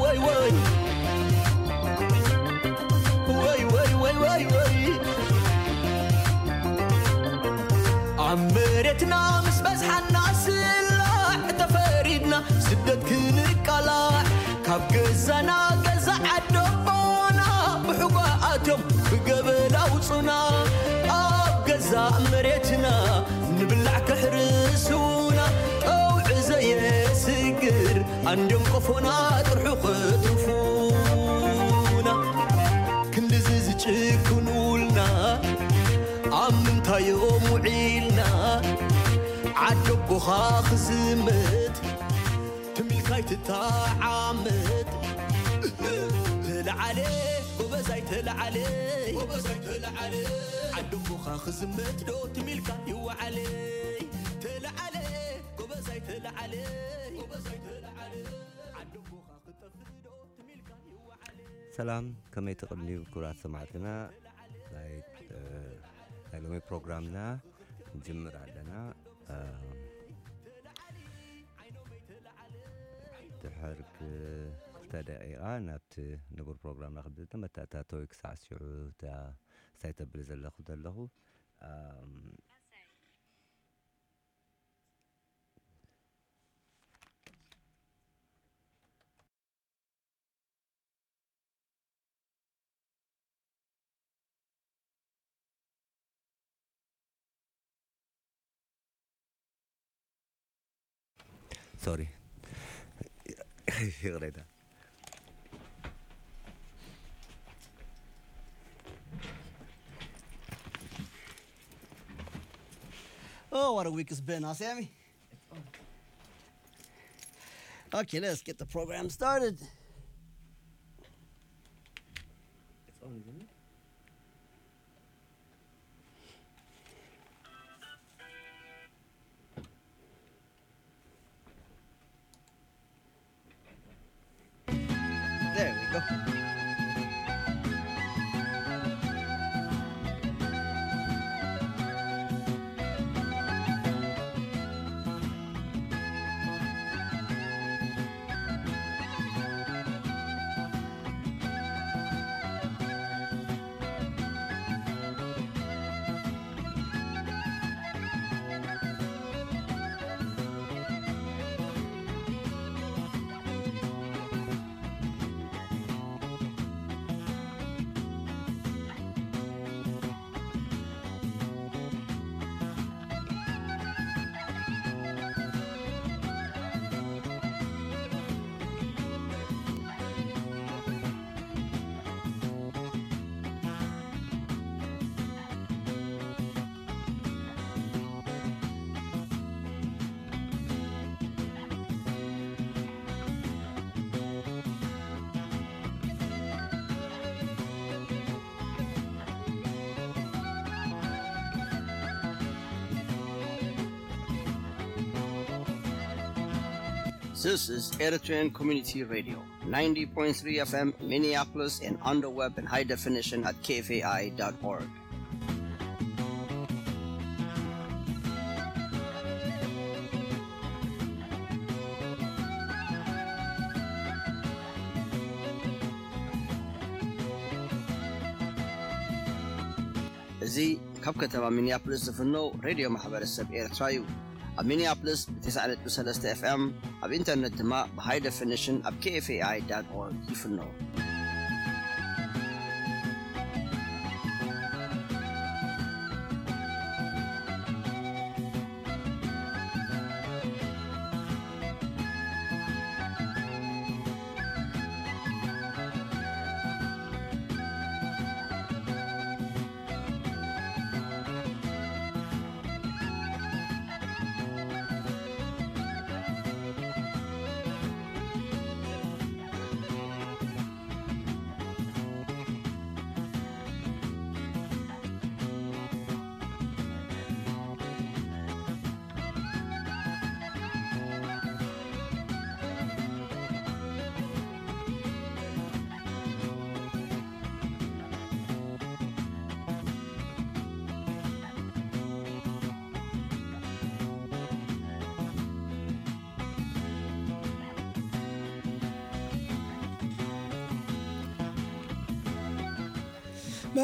ወይ ወይ ወይ ወይ ወይ ኣብ መሬትና ምስ በዝሓና ስላዕ ተፈሪድና ስደት ክንቃላዕ ካብ ገዛና ገዛ ዓዶቦና ብሕጓ ኣትዮም ብገበል ኣውፁና ኣብ ገዛ መሬትና ንብላዕ ከሕርስውና ጠውዒ ዘየስግር ኣንድዮም ቆፎና ጥርሑ ክጥርፉና ክንድዚ ዝጭክኑልና ኣብ ምንታዮም ውዒልና ዓደቦኻ ክዝምት ትሚልካይ ትተዓመት ተለዓለ ጎበዛይ ተለዓለ ጎበዛይ ተለዓለ ዓደቦኻ ክዝምት ዶ ትሚልካ ይወዓለ ተለዓለ ጎበዛይ ተለዓለ ጎበዛይ ተለዓለ ዓደቦኻ ክጠፍእ ዶ ትሚልካ ይወዓለ ሰላም ከመይ ትቕንዩ ክቡራት ሰማዕትና ናይ እ፣ ናይ ሎሚ ፕሮግራምና ንጅምር ኣለና እ፣ ድሕር ክልተ ደቂቓ ናብቲ ንቡር ፕሮግራምና ክብፅእ መተኣታተዊ ክሳዕ ሽዑ እታ እንታይ ተብል ዘለኹ ዘለኹ እም፣ ሶሪ ይቕሬታ Oh, what a week it's been, huh, Sammy? Okay, let's get the program started. It's on, isn't it? There we go. This is Eritrean Community Radio, ninety point three F M Minneapolis and on the web in high definition at K F A I dot org. እዚ ካብ ከተማ ሚኒያፖሊስ ዝፍኖ ሬድዮ ማሕበረሰብ ኤርትራ እዩ። ኣብ ሚኒያፖሊስ ብ ተስዓ ነጥቢ ሰለስተ ኤፍ ኤም፣ ኣብ ኢንተርነት ድማ ብ ሃይ ደፊኒሽን ኣብ ኬ ኤፍ ኤ ኣይ ዳት ኦርግ ይፍኖ።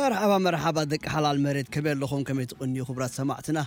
መርሓባ መርሓባ ደቂ ሓላል መሬት፣ ከመይ ኣለኹም? ከመይ ትቕንዩ ክቡራት ሰማዕትና?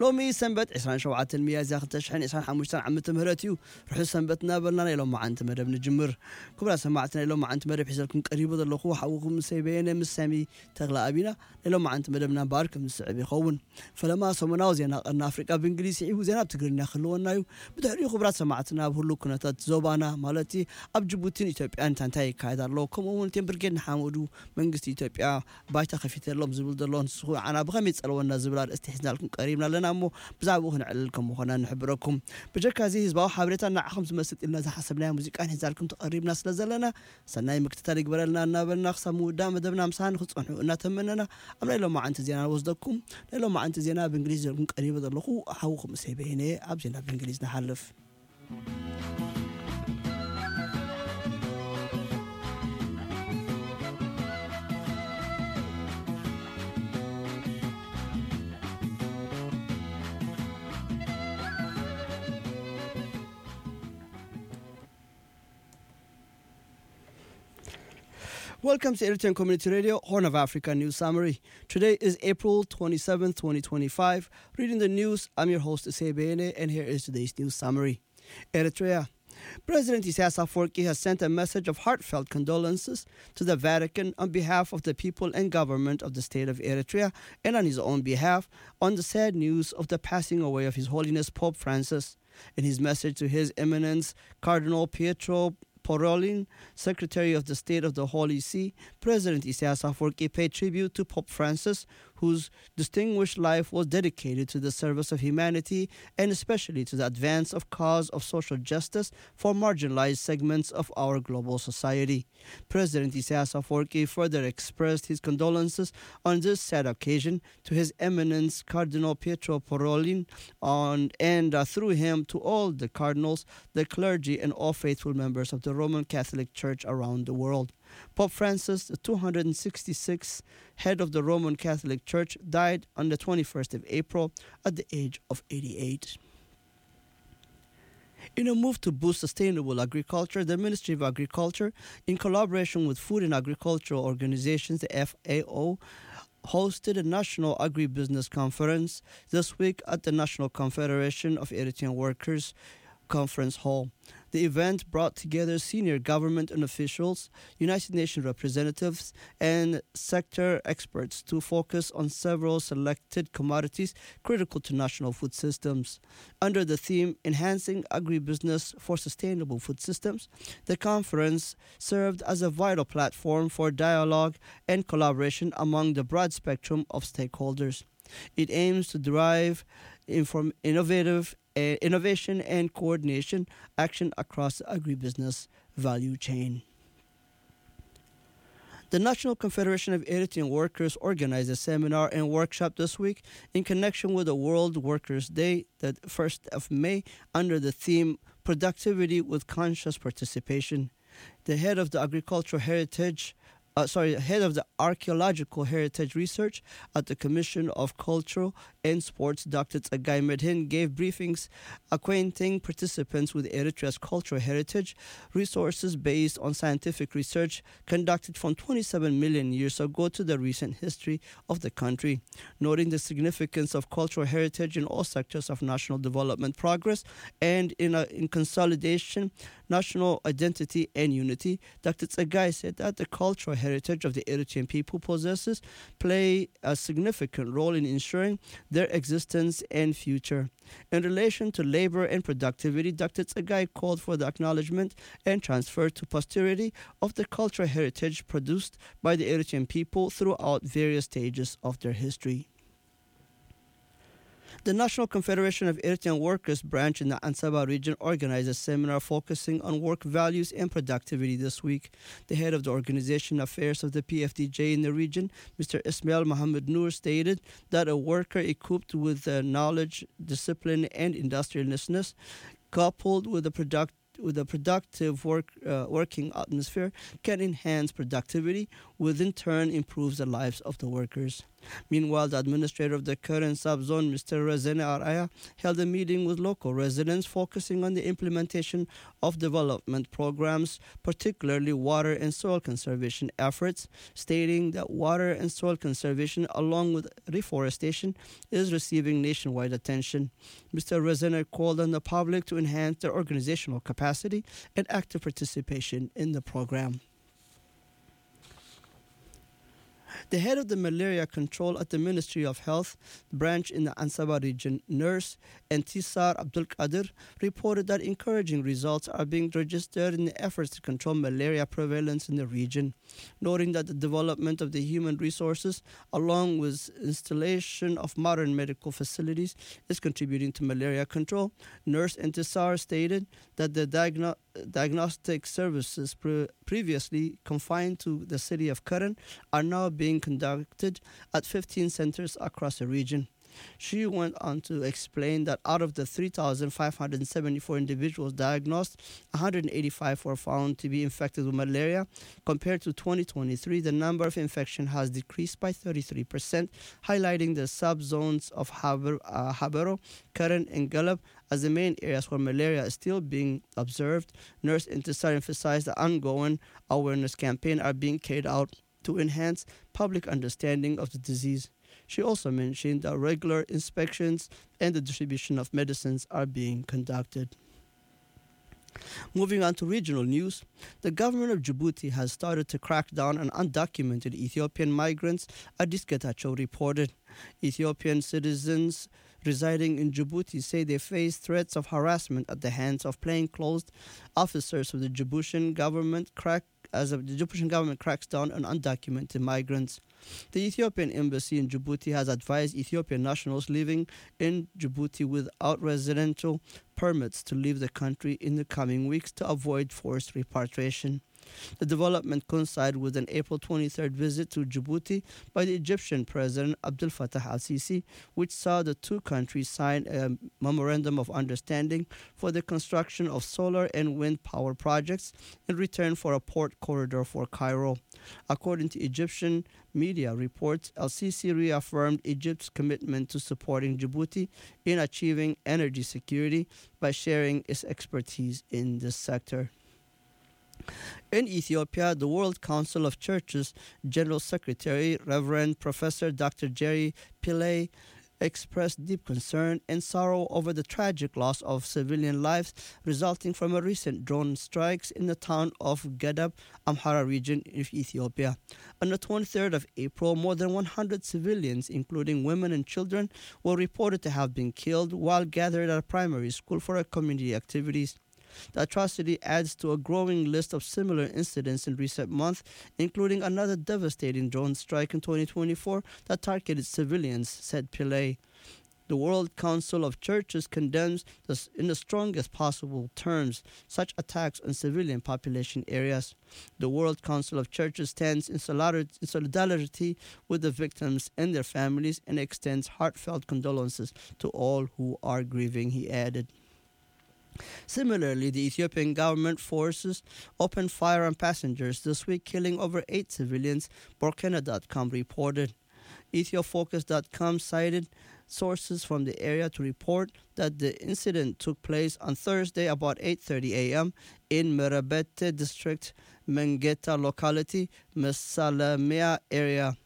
ሎሚ ሰንበት ዕስራን ሸውዓተን ሚያዝያ ክልተ ሽሕን ዕስራን ሓሙሽተን ዓመተ ምህረት እዩ። ርሑስ ሰንበት እናበልና ናይ ሎማዓንቲ መደብ ንጅምር። ክቡራት ሰማዕትና፣ ናይ ሎማዓንቲ መደብ ሒዘልኩም ቀሪቡ ዘለኹ ሓውኹም ሰይ በየነ ምስ ሳሚ ተኽለ ኣቢና። ናይ ሎማዓንቲ መደብና እምበኣር ከም ዝስዕብ ይኸውን። ፈለማ ሰሙናዊ ዜና ቀርኒ ኣፍሪቃ ብእንግሊዝ ስዒቡ ዜና ብትግርኛ ክህልወና እዩ። ብድሕሪኡ ክቡራት ሰማዕትና ኣብ ህሉው ኩነታት ዞባና ማለት ኣብ ጅቡቲን ኢትዮጵያን እንታይ እንታይ ይካየድ ኣሎ፣ ከምኡ እውን እቴን ብርጌድ ንሓመዱ መንግስቲ ኢትዮጵያ ባይታ ከፊተሎም ዝብል ዘሎ ንስኹ ንዓና ብኸመይ ጸልወና ዝብል ኣርእስቲ ሒዝናልኩም ቀሪብና ኣለና እሞ ብዛዕባኡ ክነዕልል ከም ምኾና ንሕብረኩም። ብጀካ እዚ ህዝባዊ ሓበሬታ ንዓኹም ዝመስጥ ኢልና ዝሓሰብናዮ ሙዚቃን ሒዝናልኩም ተቐሪብና ስለ ዘለና ሰናይ ምክትታል ይግበረልና እናበልና ክሳብ ምውዳእ መደብና ምሳና ንክትጸንሑ እናተመነና ኣብ ናይ ሎማዓንቲ ዜና ንወስደኩም። ናይ ሎማዓንቲ ዜና ብእንግሊዝ ዘልኩም ቀሪበ ዘለኹ ሓውኹም እሰይ በየነ ኣብ ዜና ብእንግሊዝ ንሓልፍ። Welcome to Eritrean Community Radio, Horn of Africa News Summary. Today is April twenty-seventh, twenty twenty-five. Reading the news, I'm your host, Issei Beyene, and here is today's news summary. Eritrea. President Isaias Afwerki has sent a message of heartfelt condolences to the Vatican on behalf of the people and government of the state of Eritrea, and on his own behalf, on the sad news of the passing away of His Holiness Pope Francis. In his message to His Eminence Cardinal Pietro Parolin, Secretary of the State of the Holy See, President Isaias Afwerki paid tribute to Pope Francis, whose distinguished life was dedicated to the service of humanity and especially to the advance of cause of social justice for marginalized segments of our global society. President Isaias Afwerki further expressed his condolences on this sad occasion to His Eminence Cardinal Pietro Parolin on, and, uh, through him to all the cardinals, the clergy, and all faithful members of the Roman Catholic Church around the world. Pope Francis, the two hundred sixty-sixth head of the Roman Catholic Church, died on the twenty-first of April at the age of eighty-eight. In a move to boost sustainable agriculture, the Ministry of Agriculture, in collaboration with Food and Agricultural Organizations, the F A O, hosted a national agribusiness conference this week at the National Confederation of Eritrean Workers Conference Hall. The event brought together senior government and officials, United Nations representatives, and sector experts to focus on several selected commodities critical to national food systems. Under the theme Enhancing Agribusiness for Sustainable Food Systems, the conference served as a vital platform for dialogue and collaboration among the broad spectrum of stakeholders. It aims to drive inform- innovative, uh, innovation and coordination action across the agribusiness value chain. The National Confederation of Eritrean Workers organized a seminar and workshop this week in connection with the World Workers' Day, the first of May, under the theme Productivity with Conscious Participation. The head of the Agricultural Heritage, uh, sorry, head of the Archaeological Heritage Research at the Commission of Cultural and Sports, Doctor Tsegay Medhin, gave briefings acquainting participants with Eritrea's cultural heritage, resources based on scientific research conducted from twenty-seven million years ago to the recent history of the country, noting the significance of cultural heritage in all sectors of national development progress and in, a, in consolidation, national identity and unity. Doctor Tsegay said that the cultural heritage of the Eritrean people possesses play a significant role in ensuring their existence and future. In relation to labor and productivity, Doctor Tsegay called for the acknowledgement and transfer to posterity of the cultural heritage produced by the Eritrean people throughout various stages of their history. The National Confederation of Eritrean Workers branch in the Ansaba region organized a seminar focusing on work values and productivity this week. The head of the organization affairs of the P F D J in the region, Mister Ismail Mohammed Noor, stated that a worker equipped with the knowledge, discipline, and industriousness, coupled with a product with a productive work, uh, working atmosphere, can enhance productivity, which in turn improves the lives of the workers. Meanwhile, the administrator of the current subzone, Mister Rezene Araya, held a meeting with local residents focusing on the implementation of development programs, particularly water and soil conservation efforts, stating that water and soil conservation, along with reforestation, is receiving nationwide attention. Mister Rezene called on the public to enhance their organizational capacity and active participation in the program. The head of the malaria control at the Ministry of Health branch in the Ansaba region, nurse Entisar Abdul Qadir, reported that encouraging results are being registered in the efforts to control malaria prevalence in the region, noting that the development of the human resources, along with installation of modern medical facilities, is contributing to malaria control. Nurse Entisar stated that the diagno- diagnostic services pre- previously confined to the city of Karen are now being conducted at fifteen centers across the region. She went on to explain that out of the three thousand five hundred seventy-four individuals diagnosed, one hundred eighty-five were found to be infected with malaria. Compared to twenty twenty-three, the number of infection has decreased by thirty-three percent, highlighting the subzones of Haber, uh, Habero, Karen, and Galab as the main areas where malaria is still being observed. Nurse Intisar emphasized the ongoing awareness campaign are being carried out to enhance public understanding of the disease. She also mentioned that regular inspections and the distribution of medicines are being conducted. Moving on to regional news, the government of Djibouti has started to crack down on undocumented Ethiopian migrants, Addis Getachew reported. Ethiopian citizens residing in Djibouti say they face threats of harassment at the hands of plainclothes officers of the Djiboutian government crack as the Djiboutian government cracks down on undocumented migrants. The Ethiopian embassy in Djibouti has advised Ethiopian nationals living in Djibouti without residential permits to leave the country in the coming weeks to avoid forced repatriation. The development coincided with an April twenty-third visit to Djibouti by the Egyptian President Abdel Fattah al-Sisi, which saw the two countries sign a memorandum of understanding for the construction of solar and wind power projects in return for a port corridor for Cairo. According to Egyptian media reports, el-Sisi reaffirmed Egypt's commitment to supporting Djibouti in achieving energy security by sharing its expertise in this sector. In Ethiopia, the World Council of Churches General Secretary, Reverend Professor Doctor Jerry Pillay, expressed deep concern and sorrow over the tragic loss of civilian lives resulting from a recent drone strikes in the town of Gadab, Amhara region of Ethiopia. On the twenty-third of April, more than one hundred civilians, including women and children, were reported to have been killed while gathered at a primary school for a community activities. The atrocity adds to a growing list of similar incidents in recent months, including another devastating drone strike in twenty twenty-four that targeted civilians, said Pillay. The World Council of Churches condemns this in the strongest possible terms such attacks on civilian population areas. The World Council of Churches stands in solidar- in solidarity with the victims and their families and extends heartfelt condolences to all who are grieving, he added. Similarly, the Ethiopian government forces opened fire on passengers this week, killing over eight civilians, Borkena dot com reported. Ethiofocus dot com cited sources from the area to report that the incident took place on Thursday about eight thirty a m in Merebete district, Mengeta locality, Mesalemia area.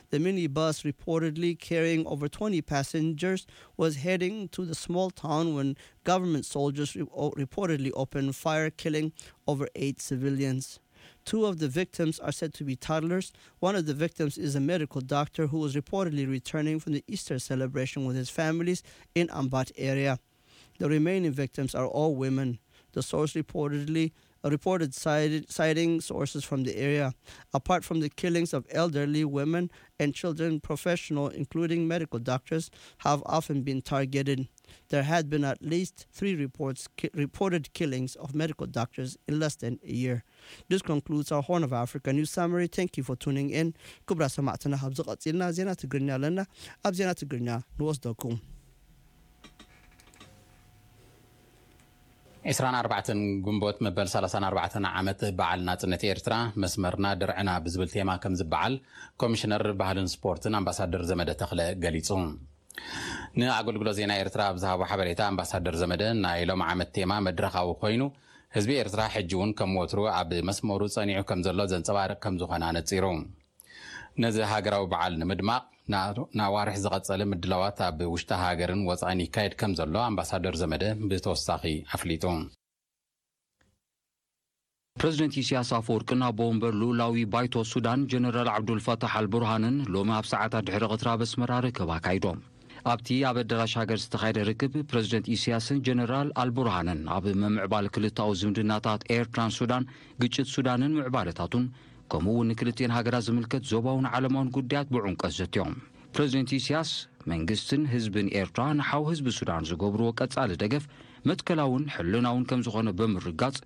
The minibus, reportedly carrying over twenty passengers, was heading to the small town when government soldiers re- o- reportedly opened fire, killing over eight civilians. Two of the victims are said to be toddlers. One of the victims is a medical doctor who was reportedly returning from the Easter celebration with his families in Ambat area. The remaining victims are all women. The source reportedly reported cited, citing sources from the area. Apart from the killings of elderly women and children, professionals, including medical doctors, have often been targeted. There had been at least three reports ki- reported killings of medical doctors in less than a year. This concludes our Horn of Africa news summary. Thank you for tuning in. ክቡራት ሰማዕትና፣ ካብዚ ቀፂልና ዜና ትግርኛ ኣለና። ኣብ ዜና ትግርኛ ንወስደኩም። ዕስራን ኣርባዕተን ግንቦት መበል ሰላሳን ኣርባዕተን ዓመት በዓል ናጽነት ኤርትራ መስመርና ድርዕና ብዝብል ቴማ ከም ዝበዓል ኮሚሽነር ባህልን ስፖርትን ኣምባሳደር ዘመደ ተኽለ ገሊጹ። ንኣገልግሎት ዜና ኤርትራ ኣብ ዝሃቦ ሓበሬታ ኣምባሳደር ዘመደ ናይ ሎም ዓመት ቴማ መድረኻዊ ኮይኑ ህዝቢ ኤርትራ ሕጂ እውን ከም ወትሩ ኣብ መስመሩ ጸኒዑ ከም ዘሎ ዘንጸባርቕ ከም ዝኾነ ኣነጺሩ። ነዚ ሃገራዊ በዓል ንምድማቕ ንኣዋርሕ ዝቐጸለ ምድላዋት ኣብ ውሽጢ ሃገርን ወጻኢን ይካየድ ከም ዘሎ ኣምባሳደር ዘመደ ብተወሳኺ ኣፍሊጡ። ፕረዚደንት ኢሳያስ ኣፈወርቅን ኣቦ ወንበር ልኡላዊ ባይቶ ሱዳን ጀነራል ዓብዱልፋታሕ ኣልቡርሃንን ሎሚ ኣብ ሰዓታት ድሕሪ ቐትሪ ኣብ ኣስመራ ርክብ ኣካይዶም። ኣብቲ ኣብ ኣዳራሽ ሃገር ዝተኻየደ ርክብ ፕረዚደንት ኢሳያስን ጀነራል ኣልቡርሃንን ኣብ ምምዕባል ክልታዊ ዝምድናታት ኤርትራን ሱዳን፣ ግጭት ሱዳንን ምዕባለታቱን ከምኡ እውን ንክልቲኤን ሃገራት ዝምልከት ዞባውን ዓለማውን ጉዳያት ብዕምቀት ዘትዮም። ፕረዚደንት ኢሳያስ መንግስትን ህዝብን ኤርትራ ንሓው ህዝቢ ሱዳን ዝገብርዎ ቀጻሊ ደገፍ መትከላውን ሕልናውን ከም ዝኾነ ብምርጋጽ፣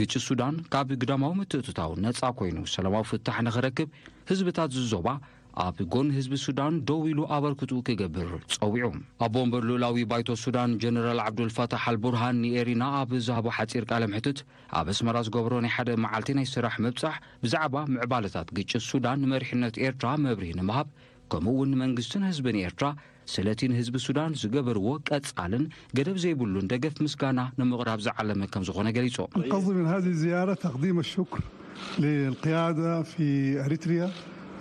ግጭት ሱዳን ካብ ግዳማዊ ምትእትታው ነጻ ኮይኑ ሰላማዊ ፍታሕ ንኽረክብ ህዝብታት ዝዞባ ኣብ ጎኒ ህዝቢ ሱዳን ደው ኢሉ ኣበርክትኡ ክገብር ጸዊዑ። ኣቦ ወንበር ልኡላዊ ባይቶ ሱዳን ጀነራል ዓብዱልፋታሕ ኣልቡርሃን ንኤሪና ኣብ ዝሃቦ ሓጺር ቃለ ምሕትት ኣብ ኣስመራ ዝገበሮ ናይ ሓደ መዓልቲ ናይ ስራሕ ምብጻሕ ብዛዕባ ምዕባለታት ግጭት ሱዳን ንመሪሕነት ኤርትራ መብርሂ ንምሃብ ከምኡ እውን ንመንግስትን ህዝብን ኤርትራ ስለቲ ንህዝቢ ሱዳን ዝገበርዎ ቀጻልን ገደብ ዘይብሉን ደገፍ ምስጋና ንምቕራብ ዝዓለመ ከም ዝኾነ ገሊጹ። القصد من هذه الزيارة تقديم الشكر للقيادة في أريتريا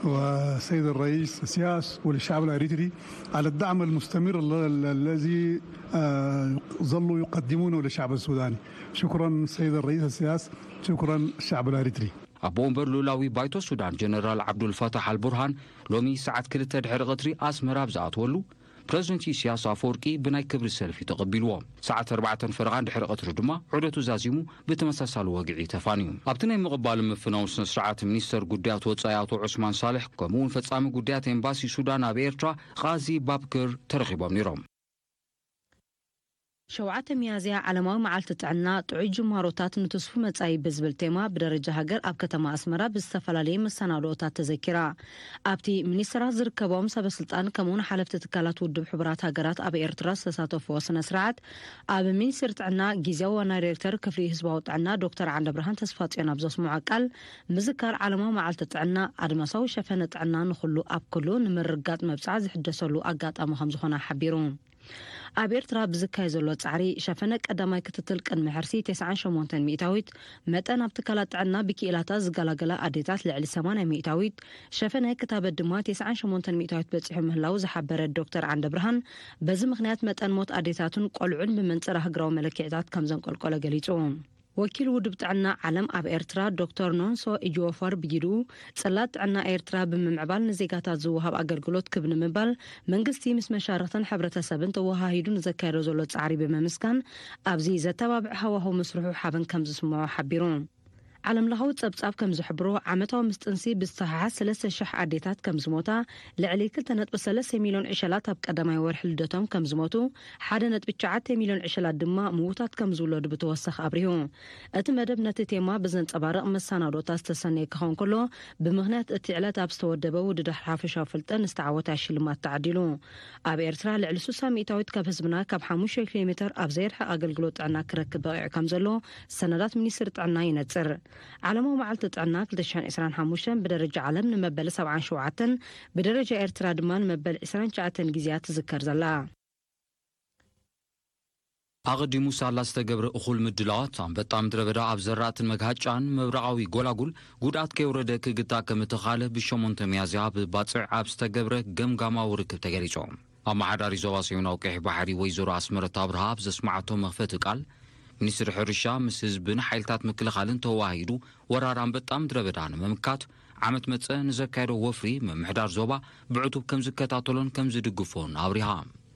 والسيد الرئيس السياس وللشعب الأريتري على الدعم المستمر ال- ال- الذي آه، ظلوا يقدمونه للشعب السوداني. شكرا سيد الرئيس السياس، شكرا الشعب الأريتري. ኣቦ ወንበር ልኡላዊ ባይቶ ሱዳን ጀነራል ዓብዱልፋታሕ ኣልቡርሃን ሎሚ ሰዓት ክልተ ድሕሪ ቐትሪ ኣስመራ ኣብ ዝኣትወሉ ፕረዚደንት ኢሳያስ ኣፈወርቂ ብናይ ክብሪ ሰልፊ ተቐቢልዎ። ሰዓት ኣርባዕተን ፈረቓን ድሕሪ ቐትሪ ድማ ዑደቱ ዛዚሙ ብተመሳሳሊ ወግዒ ተፋንዩ። ኣብቲ ናይ ምቕባል ምፍናው ስነ ስርዓት ሚኒስተር ጉዳያት ወጻኢ ኣቶ ዑስማን ሳልሕ ከምኡ እውን ፈጻሚ ጉዳያት ኤምባሲ ሱዳን ኣብ ኤርትራ ቓዚ ባብክር ተረኺቦም ነይሮም። ሸውዓተ ሚያዝያ ዓለማዊ መዓልቲ ጥዕና ጥዑይ ጅማሮታት ንትስፉ መጻኢ ብዝብል ቴማ ብደረጃ ሃገር ኣብ ከተማ ኣስመራ ብዝተፈላለየ መሰናድኦታት ተዘኪራ። ኣብቲ ሚኒስትራት ዝርከቦም ሰበስልጣን ከምኡውን ሓለፍቲ ትካላት ውድብ ሕቡራት ሃገራት ኣብ ኤርትራ ዝተሳተፍዎ ስነ ስርዓት ኣብ ሚኒስትሪ ጥዕና ግዜያዊ ዋና ዳይሬክተር ክፍሊ ህዝባዊ ጥዕና ዶክተር ዓንደብርሃን ተስፋጽዮን ኣብ ዘስምዖ ቃል ምዝካር ዓለማዊ መዓልቲ ጥዕና ኣድማሳዊ ሸፈነ ጥዕና ንኹሉ ኣብ ኩሉ ንምርግጋጽ መብጽዓ ዝሕደሰሉ ኣጋጣሚ ከም ዝኾነ ሓቢሩ። ኣብ ኤርትራ ብዝካየ ዘሎ ጻዕሪ ሸፈነ ቀዳማይ ክትትል ቅድሚ ሕርሲ ተስዓን ሸሞንተን ሚእታዊት፣ መጠን ኣብ ትካላት ጥዕና ብክኢላታት ዝገላገላ ኣዴታት ልዕሊ ሰማንያ ሚእታዊት፣ ሸፈነ ክታበት ድማ ተስዓን ሸሞንተን ሚእታዊት በጺሑ ምህላው ዝሓበረ ዶክተር ዓንደብርሃን፣ በዚ ምኽንያት መጠን ሞት ኣዴታትን ቆልዑን ብመንጽር ኣህግራዊ መለክዒታት ከም ዘንቆልቆለ ገሊጹ። ወኪል ውድብ ጥዕና ዓለም ኣብ ኤርትራ ዶክተር ኖንሶ ኢጅወፈር ብጊድኡ፣ ጽላት ጥዕና ኤርትራ ብምምዕባል ንዜጋታት ዝወሃብ ኣገልግሎት ክብ ንምባል መንግስቲ ምስ መሻርኽትን ሕብረተሰብን ተወሃሂዱ ንዘካየዶ ዘሎ ጻዕሪ ብምምስጋን፣ ኣብዚ ዘተባብዕ ሃዋህው ምስርሑ ሓበን ከም ዝስምዖ ሓቢሩ። ዓለምለኻዊ ጸብጻብ ከም ዝሕብሮ፣ ዓመታዊ ምስ ጥንሲ ብዝተሓሓዝ ሰለስተ ሽሕ ኣዴታት ከም ዝሞታ፣ ልዕሊ ክልተ ነጥቢ ሰለስተ ሚልዮን ዕሸላት ኣብ ቀዳማይ ወርሒ ልደቶም ከም ዝሞቱ፣ ሓደ ነጥቢ ትሽዓተ ሚልዮን ዕሸላት ድማ ምዉታት ከም ዝውለዱ ብተወሳኺ ኣብሪሁ። እቲ መደብ ነቲ ቴማ ብዘንጸባርቕ መሰናዶታት ዝተሰነየ ክኸውን ከሎ፣ ብምኽንያት እቲ ዕለት ኣብ ዝተወደበ ውድድር ሓፈሻዊ ፍልጠት ንዝተዓወታ ሽልማት ተዓዲሉ። ኣብ ኤርትራ ልዕሊ ስሳ ሚእታዊት ካብ ህዝብና ካብ ሓሙሽተ ኪሎ ሜተር ኣብ ዘይርሕቕ ኣገልግሎት ጥዕና ክረክብ በቒዑ ከም ዘሎ ሰነዳት ሚኒስትሪ ጥዕና ይነጽር። ዓለማዊ መዓልቲ ጥዕና ክልተ ሽሕን ዕስራን ሓሙሽተን ብደረጃ ዓለም ንመበል ሰብዓን ሸውዓተን፣ ብደረጃ ኤርትራ ድማ ንመበል ዕስራን ትሽዓተን ግዜያ ትዝከር ዘላ። ኣቐዲሙ ሳላ ዝተገብረ እኹል ምድላዋት ኣንበጣ ምድረ በዳ ኣብ ዘራእትን መግሃጫን ምብራቓዊ ጎላጉል ጉድኣት ከየውረደ ክግታ ከም እተኻለ ብሸሞንተ ሚያዝያ ኣብ ባጽዕ ኣብ ዝተገብረ ገምጋማዊ ርክብ ተገሊጹ። ኣመሓዳሪ ዞባ ሰሜናዊ ቀይሕ ባሕሪ ወይዘሮ ኣስመረት ኣብርሃ ኣብ ዘስመዓቶ መኽፈቲ ቃል፣ ሚኒስትሪ ሕርሻ ምስ ህዝብን ሓይልታት ምክልኻልን ተወሃሂዱ ወራር ኣንበጣ ምድረ በዳ ንምምካት ዓመት መጸ ንዘካየዶ ወፍሪ ምምሕዳር ዞባ ብዕቱብ ከም ዝከታተሎን ከም ዝድግፎን ኣብሪሃ።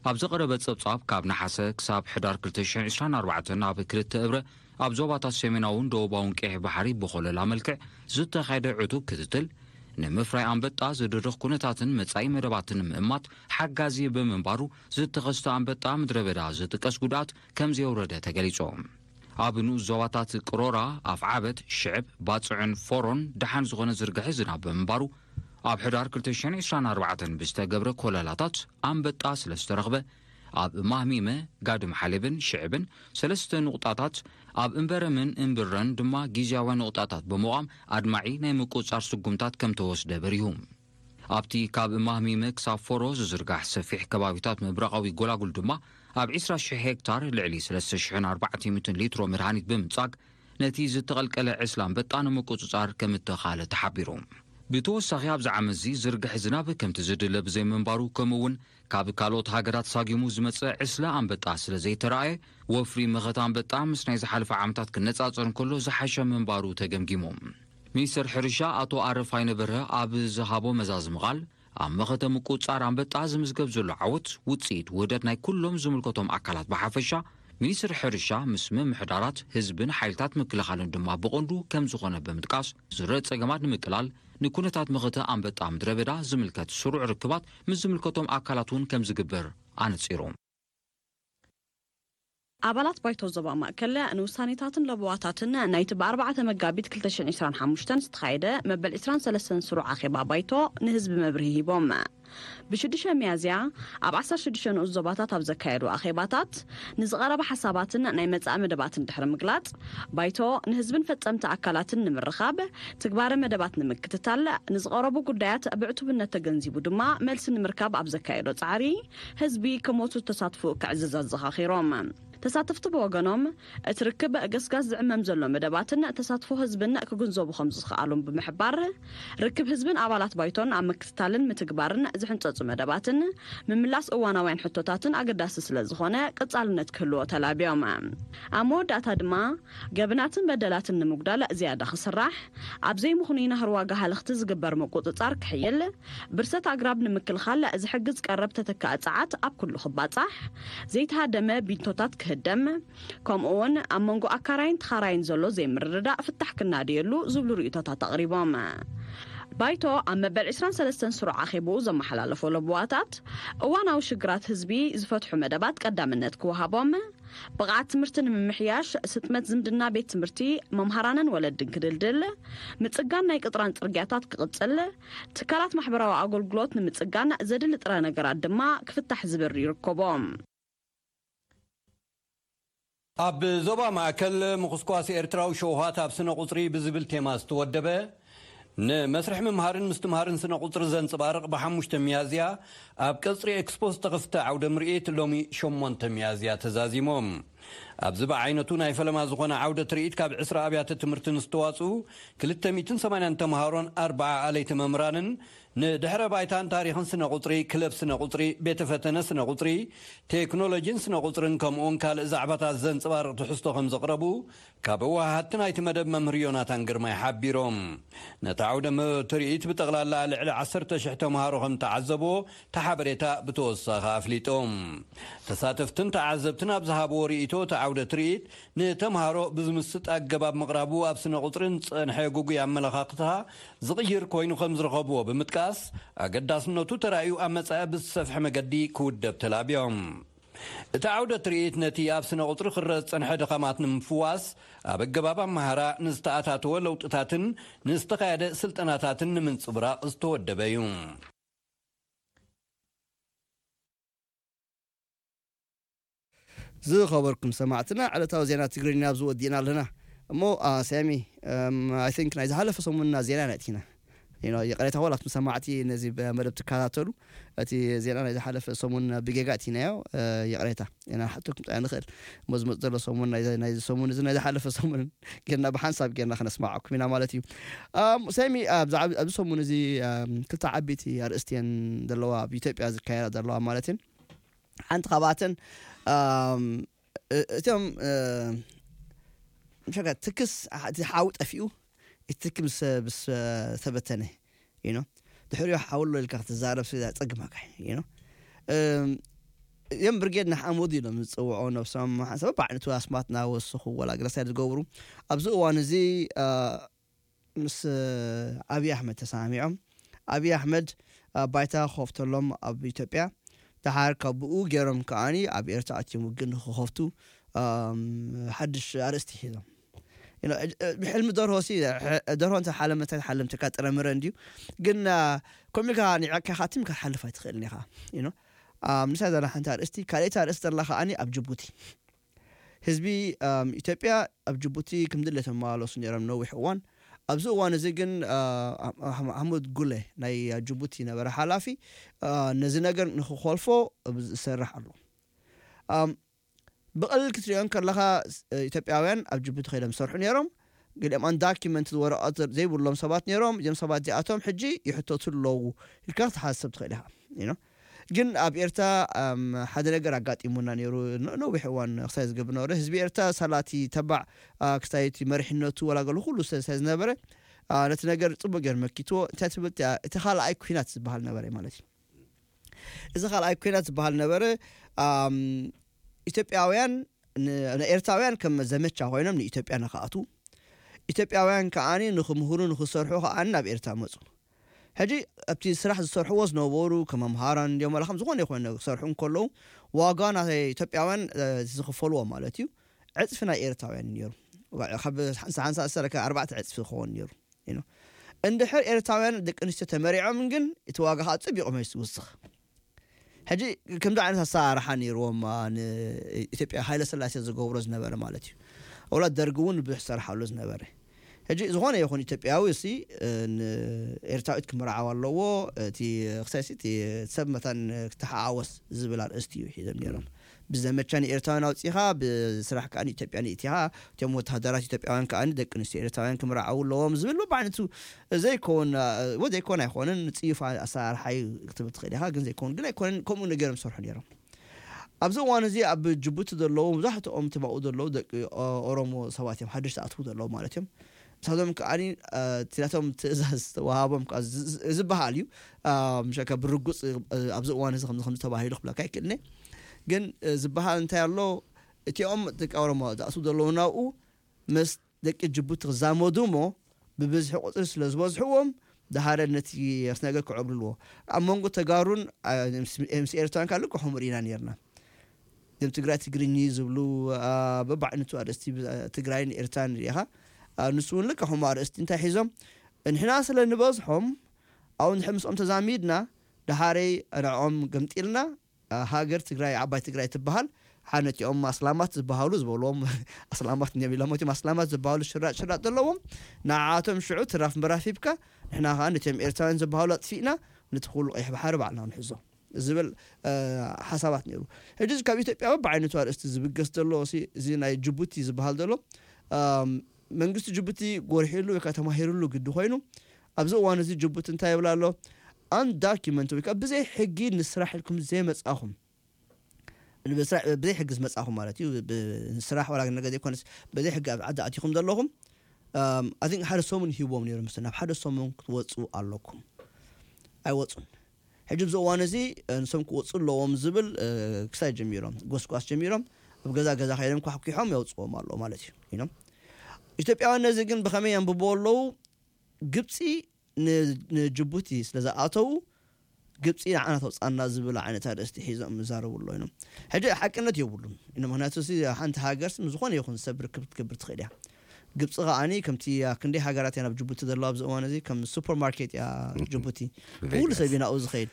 ኣብ ዝቐረበ ጸብጻብ ካብ ነሓሰ ክሳብ ሕዳር ክልተ ሽሕን ዕስራን ኣርባዕተን ኣብ ክልተ እብረ ኣብ ዞባታት ሰሜናውን ደቡባውን ቀይሕ ባሕሪ ብኾለላ መልክዕ ዝተኻየደ ዕቱብ ክትትል ንምፍራይ ኣንበጣ ዝድርኽ ኩነታትን መጻኢ መደባትን ንምእማት ሓጋዚ ብምንባሩ ዝተኸስተ ኣንበጣ ምድረ በዳ ዝጥቀስ ጉድኣት ከም ዘየውረደ ተገሊጹ። ኣብ ንኡስ ዞባታት ቅሮራ፣ ኣፍዓበት፣ ሽዕብ፣ ባጽዕን ፎሮን ደሓን ዝኾነ ዝርግሐ ዝናብ ብምንባሩ ኣብ ሕዳር ክልተ ሽሕን ዕስራን ኣርባዕተን ብዝተገብረ ኮለላታት ኣንበጣ ስለ ዝተረኽበ ኣብ ማህሚመ፣ ጋድም ሓሌብን ሽዕብን ሰለስተ ንቑጣታት፣ ኣብ እምበረምን እምብረን ድማ ግዝያውያን ንቑጣታት ብምቋም ኣድማዒ ናይ ምቁጽጻር ስጉምታት ከም ተወስደ በሪሁ። ኣብቲ ካብ ማህሚመ ክሳብ ፎሮ ዝዝርጋሕ ሰፊሕ ከባቢታት ምብራቓዊ ጎላጉል ድማ ኣብ ዕስራ ሽሕ ሄክታር ልዕሊ ሰለስተ ሽሕን ኣርባዕተ ሚእትን ሊትሮ መድሃኒት ብምጻግ ነቲ ዝተቐልቀለ ዕስለ ኣንበጣ ንምቁጽጻር ከም እተኻለ ተሓቢሩ። ብተወሳኺ ኣብዚ ዓመትዚ ዝርግሐ ዝናብ ከምቲ ዝድለ ብዘይምንባሩ፣ ከምኡ እውን ካብ ካልኦት ሃገራት ሳጊሙ ዝመጽእ ዕስለ ኣንበጣ ስለ ዘይተራእየ፣ ወፍሪ መኸተ ኣንበጣ ምስ ናይ ዝሓለፈ ዓመታት ክነጻጸር እንከሎ ዝሓሸ ምንባሩ ተገምጊሙ። ሚኒስተር ሕርሻ ኣቶ ኣረፋይነ በርሀ ኣብ ዝሃቦ መዛዝሚ ቃል፣ ኣብ መኸተ ምቁጽጻር ኣንበጣ ዝምዝገብ ዘሎ ዓወት ውጽኢት ውህደት ናይ ኩሎም ዝምልከቶም ኣካላት ብሓፈሻ፣ ሚኒስትሪ ሕርሻ ምስ ምምሕዳራት፣ ህዝብን ሓይልታት ምክልኻልን ድማ ብቐንዱ ከም ዝኾነ ብምጥቃስ፣ ዝረአ ጸገማት ንምቅላል ንኩነታት መኸተ ኣንበጣ ምድረ በዳ ዝምልከት ስሩዕ ርክባት ምስ ዝምልከቶም ኣካላት እውን ከም ዝግበር ኣነጺሩ። ኣባላት ባይቶ ዞባ ማእከል ንውሳኔታትን ለበዋታትን ናይቲ ብ ኣርባዕተ መጋቢት ክልተ ሽሕን ዕስራን ሓሙሽተን ዝተኻየደ መበል ዕስራን ሰለስተን ስሩዕ ኣኼባ ባይቶ ንህዝቢ መብርሂ ሂቦም። ብ ሽዱሽተ ሚያዝያ ኣብ ዓሰርተ ሽዱሽተ ንኡስ ዞባታት ኣብ ዘካየዱ ኣኼባታት ንዝቐረበ ሓሳባትን ናይ መጻኢ መደባትን ድሕሪ ምግላጽ፣ ባይቶ ንህዝብን ፈጸምቲ ኣካላትን ንምርኻብ፣ ትግባረ መደባት ንምክትታል፣ ንዝቐረቡ ጉዳያት ብዕቱብነት ተገንዚቡ ድማ መልሲ ንምርካብ ኣብ ዘካየዶ ጻዕሪ፣ ህዝቢ ክሞቱ ተሳትፎ ክዕዝዝ ኣዘኻኺሮም። ተሳተፍቲ ብወገኖም፣ እቲ ርክብ ገስጋስ ዝዕመም ዘሎ መደባትን ተሳትፎ ህዝብን ክግንዘቡ ከም ዝኸኣሉን ብምሕባር፣ ርክብ ህዝብን ኣባላት ባይቶን ኣብ ምክትታልን ምትግባርን ዝሕንጸጹ መደባትን ምምላስ እዋናውያን ሕቶታትን ኣገዳሲ ስለ ዝኾነ ቀጻልነት ክህልዎ ተላብዮም። ኣብ መወዳእታ ድማ፣ ገበናትን በደላትን ንምጉዳል ዝያዳ ክስራሕ፣ ኣብ ዘይምኽኑይ ናህሪ ዋጋ ሃለኽቲ ዝግበር ምቁጽጻር ክሕይል፣ ብርሰት ኣግራብ ንምክልኻል ዝሕግዝ ቀረብ ተተካኢ ጸዓት ኣብ ኩሉ ክባጻሕ፣ ዘይተሃደመ ቢንቶታት ክህደም፣ ከምኡውን ኣብ መንጎ ኣካራይን ተኻራይን ዘሎ ዘይምርድዳእ ፍታሕ ክናድየሉ ዝብሉ ርእይቶታት ኣቕሪቦም። ባይቶ ኣብ መበል ዕስራን ሰለስተን ስሩዕ ኣኼብኡ ዘመሓላለፎ ለበዋታት፣ እዋናዊ ሽግራት ህዝቢ ዝፈትሑ መደባት ቀዳምነት ክወሃቦም፣ ብቕዓት ትምህርቲ ንምምሕያሽ፣ ስጥመት ዝምድና ቤት ትምህርቲ፣ መምሃራንን ወለድን ክድልድል፣ ምጽጋን ናይ ቅጥራን ጽርግያታት ክቕጽል፣ ትካላት ማሕበራዊ ኣገልግሎት ንምጽጋን ዘድሊ ጥረ ነገራት ድማ ክፍታሕ ዝብል ይርከቦም። ኣብ ዞባ ማእከል ምኹስኳስ ኤርትራዊ ሸውሃት ኣብ ስነ ቁጽሪ ብዝብል ቴማ ዝተወደበ ንመስርሕ ምምሃርን ምስትምሃርን ስነ ቁጽሪ ዘንጽባርቕ ብሓሙሽተ ሚያዝያ ኣብ ቀጽሪ ኤክስፖ ዝተኸፍተ ዓውደ ምርኢት ሎሚ ሸሞንተ ሚያዝያ ተዛዚሞም። ኣብዚ ብዓይነቱ ናይ ፈለማ ዝኾነ ዓውደ ትርኢት ካብ ዕስራ ኣብያተ ትምህርትን ዝተዋጽኡ ክልተ ሚእትን ሰማንያን ተምሃሮን ኣርባዓ ኣለይቲ መምህራንን ንድሕረ ባይታን ታሪኽን ስነ ቁጽሪ፣ ክለብ ስነ ቁጽሪ፣ ቤተ ፈተነ ስነ ቁጽሪ፣ ቴክኖሎጂን ስነ ቁጽርን ከምኡውን ካልእ ዛዕባታት ዘንጽባርቕ ትሕዝቶ ከም ዘቕረቡ ካብ ወሃሃቲ ናይቲ መደብ መምህር ዮናታን ግርማይ ሓቢሮም። ነቲ ዓውደ ም-፣ ትርኢት ብጠቕላላ ልዕሊ ዓሰርተ ሽሕ ተምሃሮ ከም ተዓዘቦ እቲ ሓበሬታ ብተወሳኺ ኣፍሊጦም። ተሳተፍትን ተዓዘብትን ኣብ ዝሃብዎ ርእይቶ፣ እቲ ዓውደ ትርኢት ንተምሃሮ ብዝምስጥ ኣገባብ ምቕራቡ ኣብ ስነ ቁጽርን ጸንሐ ግጉይ ኣመለኻኽታ ዝቕይር ኮይኑ ከም ዝረኸብዎ ብምጥቃስ፣ ኣገዳስነቱ ተራእዩ ኣብ መጻኢ ብዝሰፍሐ መገዲ ክውደብ ተላብዮም። እቲ ዓውደ ትርኢት ነቲ ኣብ ስነ ቁጽሪ ክረአ ዝጸንሐ ድኻማት ንምፍዋስ፣ ኣብ ኣገባብ ኣመሃራ ንዝተኣታተወ ለውጥታትን ንዝተኻየደ ስልጠናታትን ንምንጽብራቕ ዝተወደበ እዩ። ዝኸበርኩም ሰማዕትና፣ ዕለታዊ ዜና ትግርኛ ኣብዚ ወዲእና ኣለና። እሞ፣ አ፣ ሳሚ፣ እም፣ I think ናይ ዝሓለፈ ሰሙንና ዜና ኢና ኣእቲና። You know፣ ይቕሬታ ወላ ኣቱም ሰማዕቲ ነዚ ብ-፣ መደብ ትከታተሉ፣ እቲ ዜና ናይ ዝሓለፈ ሰሙን ብጌጋ ኣእቲናዮ፣ እ፣ ይቕሬታ። ኢና ንሓተኩም ጥራይ ንኽእል። እሞ ዝመጽእ ዘሎ ሰሙን ናይ፣ ናይ ሰሙን እዚ ናይ ዝሓለፈ ሰሙን ጌርና ብሓንሳብ ጌርና ከነስማዓኩም ኢና ማለት እዩ። ኣም፣ ሳሚ፣ ኣብዚ ዓብ-፣ ኣብዚ ሰሙን እዚ፣ ኣም፣ ክልተ ዓበይቲ ኣርእስቲ እየን ዘለዋ ኣብ ኢትዮጵያ ዝካየዳ ዘለዋ ማለት እየን። ሓንቲ ካብኣተን፣ ኣም፣ እ-፣ እቶም፣ እ፣ ምሸከ ትክስ፣ እቲ ሓዊ ጠፊኡ፣ እቲ ትኪ ምስ፣ ምስ ተበተነ፣ you know፣ ድሕሪኡ ሓዊ ኣሎ ኢልካ ክትዛረብ ስለ ዘጸግመካ፣ you know። እም፣ እዮም ብርጌድ ንሓመዱ ኢሎም ዝጽውዑ ነብሶም፣ ሓንሳብ በብዓይነቱ ኣስማት እናወሰኹ ወላ ግረሳይድ ዝገብሩ። ኣብዚ እዋን እዚ፣ እ፣ ምስ፣ እ፣ ኣብይ ኣሕመድ ተሰማሚዖም። ኣብይ ኣሕመድ ኣብ ባይታ ክኸፍተሎም ኣብ ኢትዮጵያ፣ ደሓር ካብ ብኡ ገይሮም ከኣኒ ኣብ ኤርትራ ኣትዮም ውግእ ንክኸፍቱ፣ እም፣ ሓድሽ ኣርእስቲ ሒዞም። You know፣ እ-፣ እ-፣ ብሕልሚ ደርሆ ሲ፣ ሕ-፣ ደርሆ እንተ ሓለመት ኣይትሓልም፣ ትካ ጥረ ምረ እንድዩ። ግን፣ እ፣ ከምኡ ኢልካ ኒዕቅካ ኢኻ ትም ኢልካ ክትሓልፍ ኣይትኽእልን ኢኻ። You know፣ ኣብ ንሳ ዘላ ሓንቲ ኣርእስቲ፣ ካልኣይቲ ኣርእስቲ ዘላ ከዓኒ ኣብ ጅቡቲ። ህዝቢ ኣም፣ ኢትዮጵያ ኣብ ጅቡቲ ከም ድሌት ተመላለሱ ነይሮም ነዊሕ እዋን። ኣብዚ እዋን እዚ ግን ኣ፣ ኣሕ- ኣሕመድ ጉለ ናይ ጅቡቲ ነበረ ሓላፊ፣ ኣ፣ ነዚ ነገር ንክኾልፎ ዝሰርሕ ኣሎ። ኣም፣ ብቐልል ክትሪኦ ከለኻ ስ- ኢትዮጵያውያን ኣብ ጅቡቲ ከይዶም ዝሰርሑ ነይሮም። ገሊኦም ኣንዳኪመንት ወረቐት ዘይብሎም ሰባት ነይሮም። እዚኦም ሰባት እዚኣቶም ሕጂ ይሕተቱ ኣለዉ ኢልካ ክትሓስብ ትኽእል ኢኻ። You know? ግን ኣብ ኤርትራ ኣም፣ ሓደ ነገር ኣጋጢሙና ነይሩ። ነ- ነዊሕ እዋን ክሳይ ዝገብር ነበረ። ህዝቢ ኤርትራ ሳላቲ ተባዕ ኣ፣ ክሳይቲ መሪሕነቱ ወላ ገሉ ኩሉ ስለ ዝነበረ ኣ፣ ነቲ ነገር ጽቡቅ ገይሩ መኪትዎ። እንታይ ትብል እቲኣ? እቲ ካልኣይ ኩናት ዝበሃል ነበረ ማለት እዩ። እዚ ካልኣይ ኩናት ዝበሃል ነበረ። ኣም፣ ኢትዮጵያውያን ን- ንኤርትራውያን ከም ዘመቻ ኮይኖም ንኢትዮጵያ ንክኣትዉ፣ ኢትዮጵያውያን ከዓኒ ንክምህሩ ንክሰርሑ ከዓኒ ናብ ኤርትራ መጹ። ሕጂ ኣብቲ ስራሕ ዝሰርሕዎ ዝነበሩ ከም መምሃራን እንዲኦም ዋላ ከም ዝኾነ ይኾነ ክሰርሑ እንከለዉ ዋጋ ናይ ኢትዮጵያውያን እ፣ ዝኽፈልዎ ማለት እዩ ዕፅፊ ናይ ኤርትራውያን እዩ ነይሩ። ዋ- ካብ ሓንሳ ሓንሳ ሰለከ ኣርባዕተ ዕፅፊ ክኸውን ነይሩ። You know። እንድሕር ኤርትራውያን ደቂ ኣንስትዮ ተመሪዖም ግን እቲ ዋጋ ከዓ ፅቢቑ መስ ይውስኽ። ሕጂ ከምዚ ዓይነት ኣሰራርሓ ነይርዎም ኣ፣ ንኢትዮጵያ ሃይለ ስላሴ ዝገብሮ ዝነበረ ማለት እዩ። ወላ ደርጊ እውን ብዙሕ ዝሰርሓሉ ዝነበረ። ሕጂ ዝኾነ ይኹን ኢትዮጵያዊ እሲ ንኤርትራዊት ክምርዓው ኣለዎ። እቲ ክሳይሲ እቲ ሰብ መታን ክተሓዋወስ ዝብል ኣርእስቲ እዩ ሒዞም ነይሮም። ብዘመቻ ንኤርትራውያን ኣውፂኻ ብስራሕ ከዓ ንኢትዮጵያ ንእቲኻ እቶም ወተሃደራት ኢትዮጵያውያን ከዓ ደቂ ኣንስትዮ ኤርትራውያን ክምርዓው ኣለዎም ዝብል በብዓይነቱ ዘይከውን እ፣ ዘይኮን ኣይኮንን ፅዩፍ ኣሰራርሓ እዩ ክትብል ትኽእል ኢኻ። ግን ዘይኮን ግን ኣይኮነን ከምኡ ነገር ዝሰርሑ ነይሮም። ኣብዚ እዋን እዚ ኣብ ጅቡቲ ዘለዉ መብዛሕትኦም እቲ ኣብኡ ዘለዉ ደቂ ኦ- ኦሮሞ ሰባት እዮም ሓደሽቲ ኣትዉ ዘለዉ ማለት እዮም። ንሳቶም ከዓ እቲ ናቶም ትእዛዝ ዝተዋሃቦም ከዓ ዝ- ዝ- ዝበሃል እዩ። አ፣ ምሸከ ብርጉፅ እ፣ ኣብዚ እዋን እዚ ከምዚ ከምዚ ተባሂሉ ክብለካ ይክእልኒ። ግን እ፣ ዝበሃል እንታይ ኣሎ? እቲኦም ደቂ ኦሮሞ ዝኣትዉ ዘለዉ ናብኡ ምስ ደቂ ጅቡቲ ክዛመዱ እሞ ብብዝሒ ቁፅሪ ስለ ዝበዝሕዎም ድሃረ ነቲ ነገር ክዕብልልዎ ኣብ መንጎ ተጋሩን አ፣ ምስ ምስ ኤርትራን ካልእ ከምኡ ርኢና ነርና። እዞም ትግራይ ትግርኝ ዝብሉ አ፣ በብዓይነቱ ኣርእስቲ ብ- ትግራይን ኤርትራን ርኢኻ። አ፣ ንሱ እውን ልክዕ ከምኡ ኣርእስቲ እንታይ ሒዞም ንሕና ስለ ንበዝሖም ኣብኡ ንድሕር ምስኦም ተዛሚድና ድሃረይ ንዕኦም ገምጢልና አ፣ ሃገር ትግራይ ዓባይ ትግራይ ትበሃል። ሓነቲኦም ኣስላማት ዝበሃሉ ዝበልዎም ኣስላማት እዮም ኢሎም እቲም ኣስላማት ዝበሃሉ ሽራጥ ሽራጥ ዘለዎም ንዓቶም ሽዑ ትራፍ ምራፍ ሂብካ ንሕና ከዓ ነቲኦም ኤርትራውያን ዝበሃሉ ኣጥፊእና ነቲ ኩሉ ቀይሕ ባሕሪ ባዕልና ንሕዞ ዝብል እ፣ ሓሳባት ነይሩ። ሕጂ ካብ ኢትዮጵያ በብዓይነቱ ኣርእስቲ ዝብገስ ዘሎ ሲ- እዚ ናይ ጅቡቲ ዝበሃል ዘሎ ኣም፣ መንግስቲ ጅቡቲ ጎርሒሉ ወይ ከዓ ተማሂሩሉ ግዲ ኮይኑ ኣብዚ እዋን እዚ ጅቡቲ እንታይ ይብል ኣሎ? ኣንዳኪመንት ወይ ከዓ ብዘይ ሕጊ ንስራሕ ኢልኩም ዘይመፃኹም ብስራሕ ብዘይ ሕጊ ዝመጻኹም ማለት እዩ። ብ- ንስራሕ ዋላ ነገር ዘይኮነስ ብዘይ ሕጊ ኣብ ዓዲ ኣቲኹም ዘለኹም ኣም፣ ኣይ ቲንክ ሓደ ሰሙን ሂቦም ነይሩ ምስ ናብ ሓደ ሰሙን ክትወፁ ኣለኩም። ኣይወፁን። ሕጂ ኣብዚ እዋን እዚ እ፣ ንሶም ክወፁ ኣለዎም ዝብል እ፣ ክሳይ ጀሚሮም ጎስጓስ ጀሚሮም ኣብ ገዛ ገዛ ከይዶም ኳሕኪሖም የውፅዎም ኣለዉ ማለት እዩ ኢኖም። ኢትዮጵያውያን ነዚ ግን ብኸመይ የንብቦ ኣለዉ? ግብፂ ን- ንጅቡቲ ስለ ዝኣተዉ ግብፂ ንዓና ተውፃና ዝብል ዓይነት ኣርእስቲ ሒዞም ይዛረቡ ኣሎ ኢኖም። ሕጂ ሓቅነት የብሉን ኢኖም። ምክንያቱ እዚ ሓንቲ ሃገር ምስ ዝኾነ ይኹን ሰብ ርክብ ክትገብር ትኽእል እያ። ግብፂ ከዓኒ ከምቲ ክንደይ ሃገራት እያ ናብ ጅቡቲ ዘለዋ ኣብዚ እዋን እዚ ከም ሱፐርማርኬት እያ ጅቡቲ። ኩሉ ሰብ እዩ ናብኡ ዝኸይድ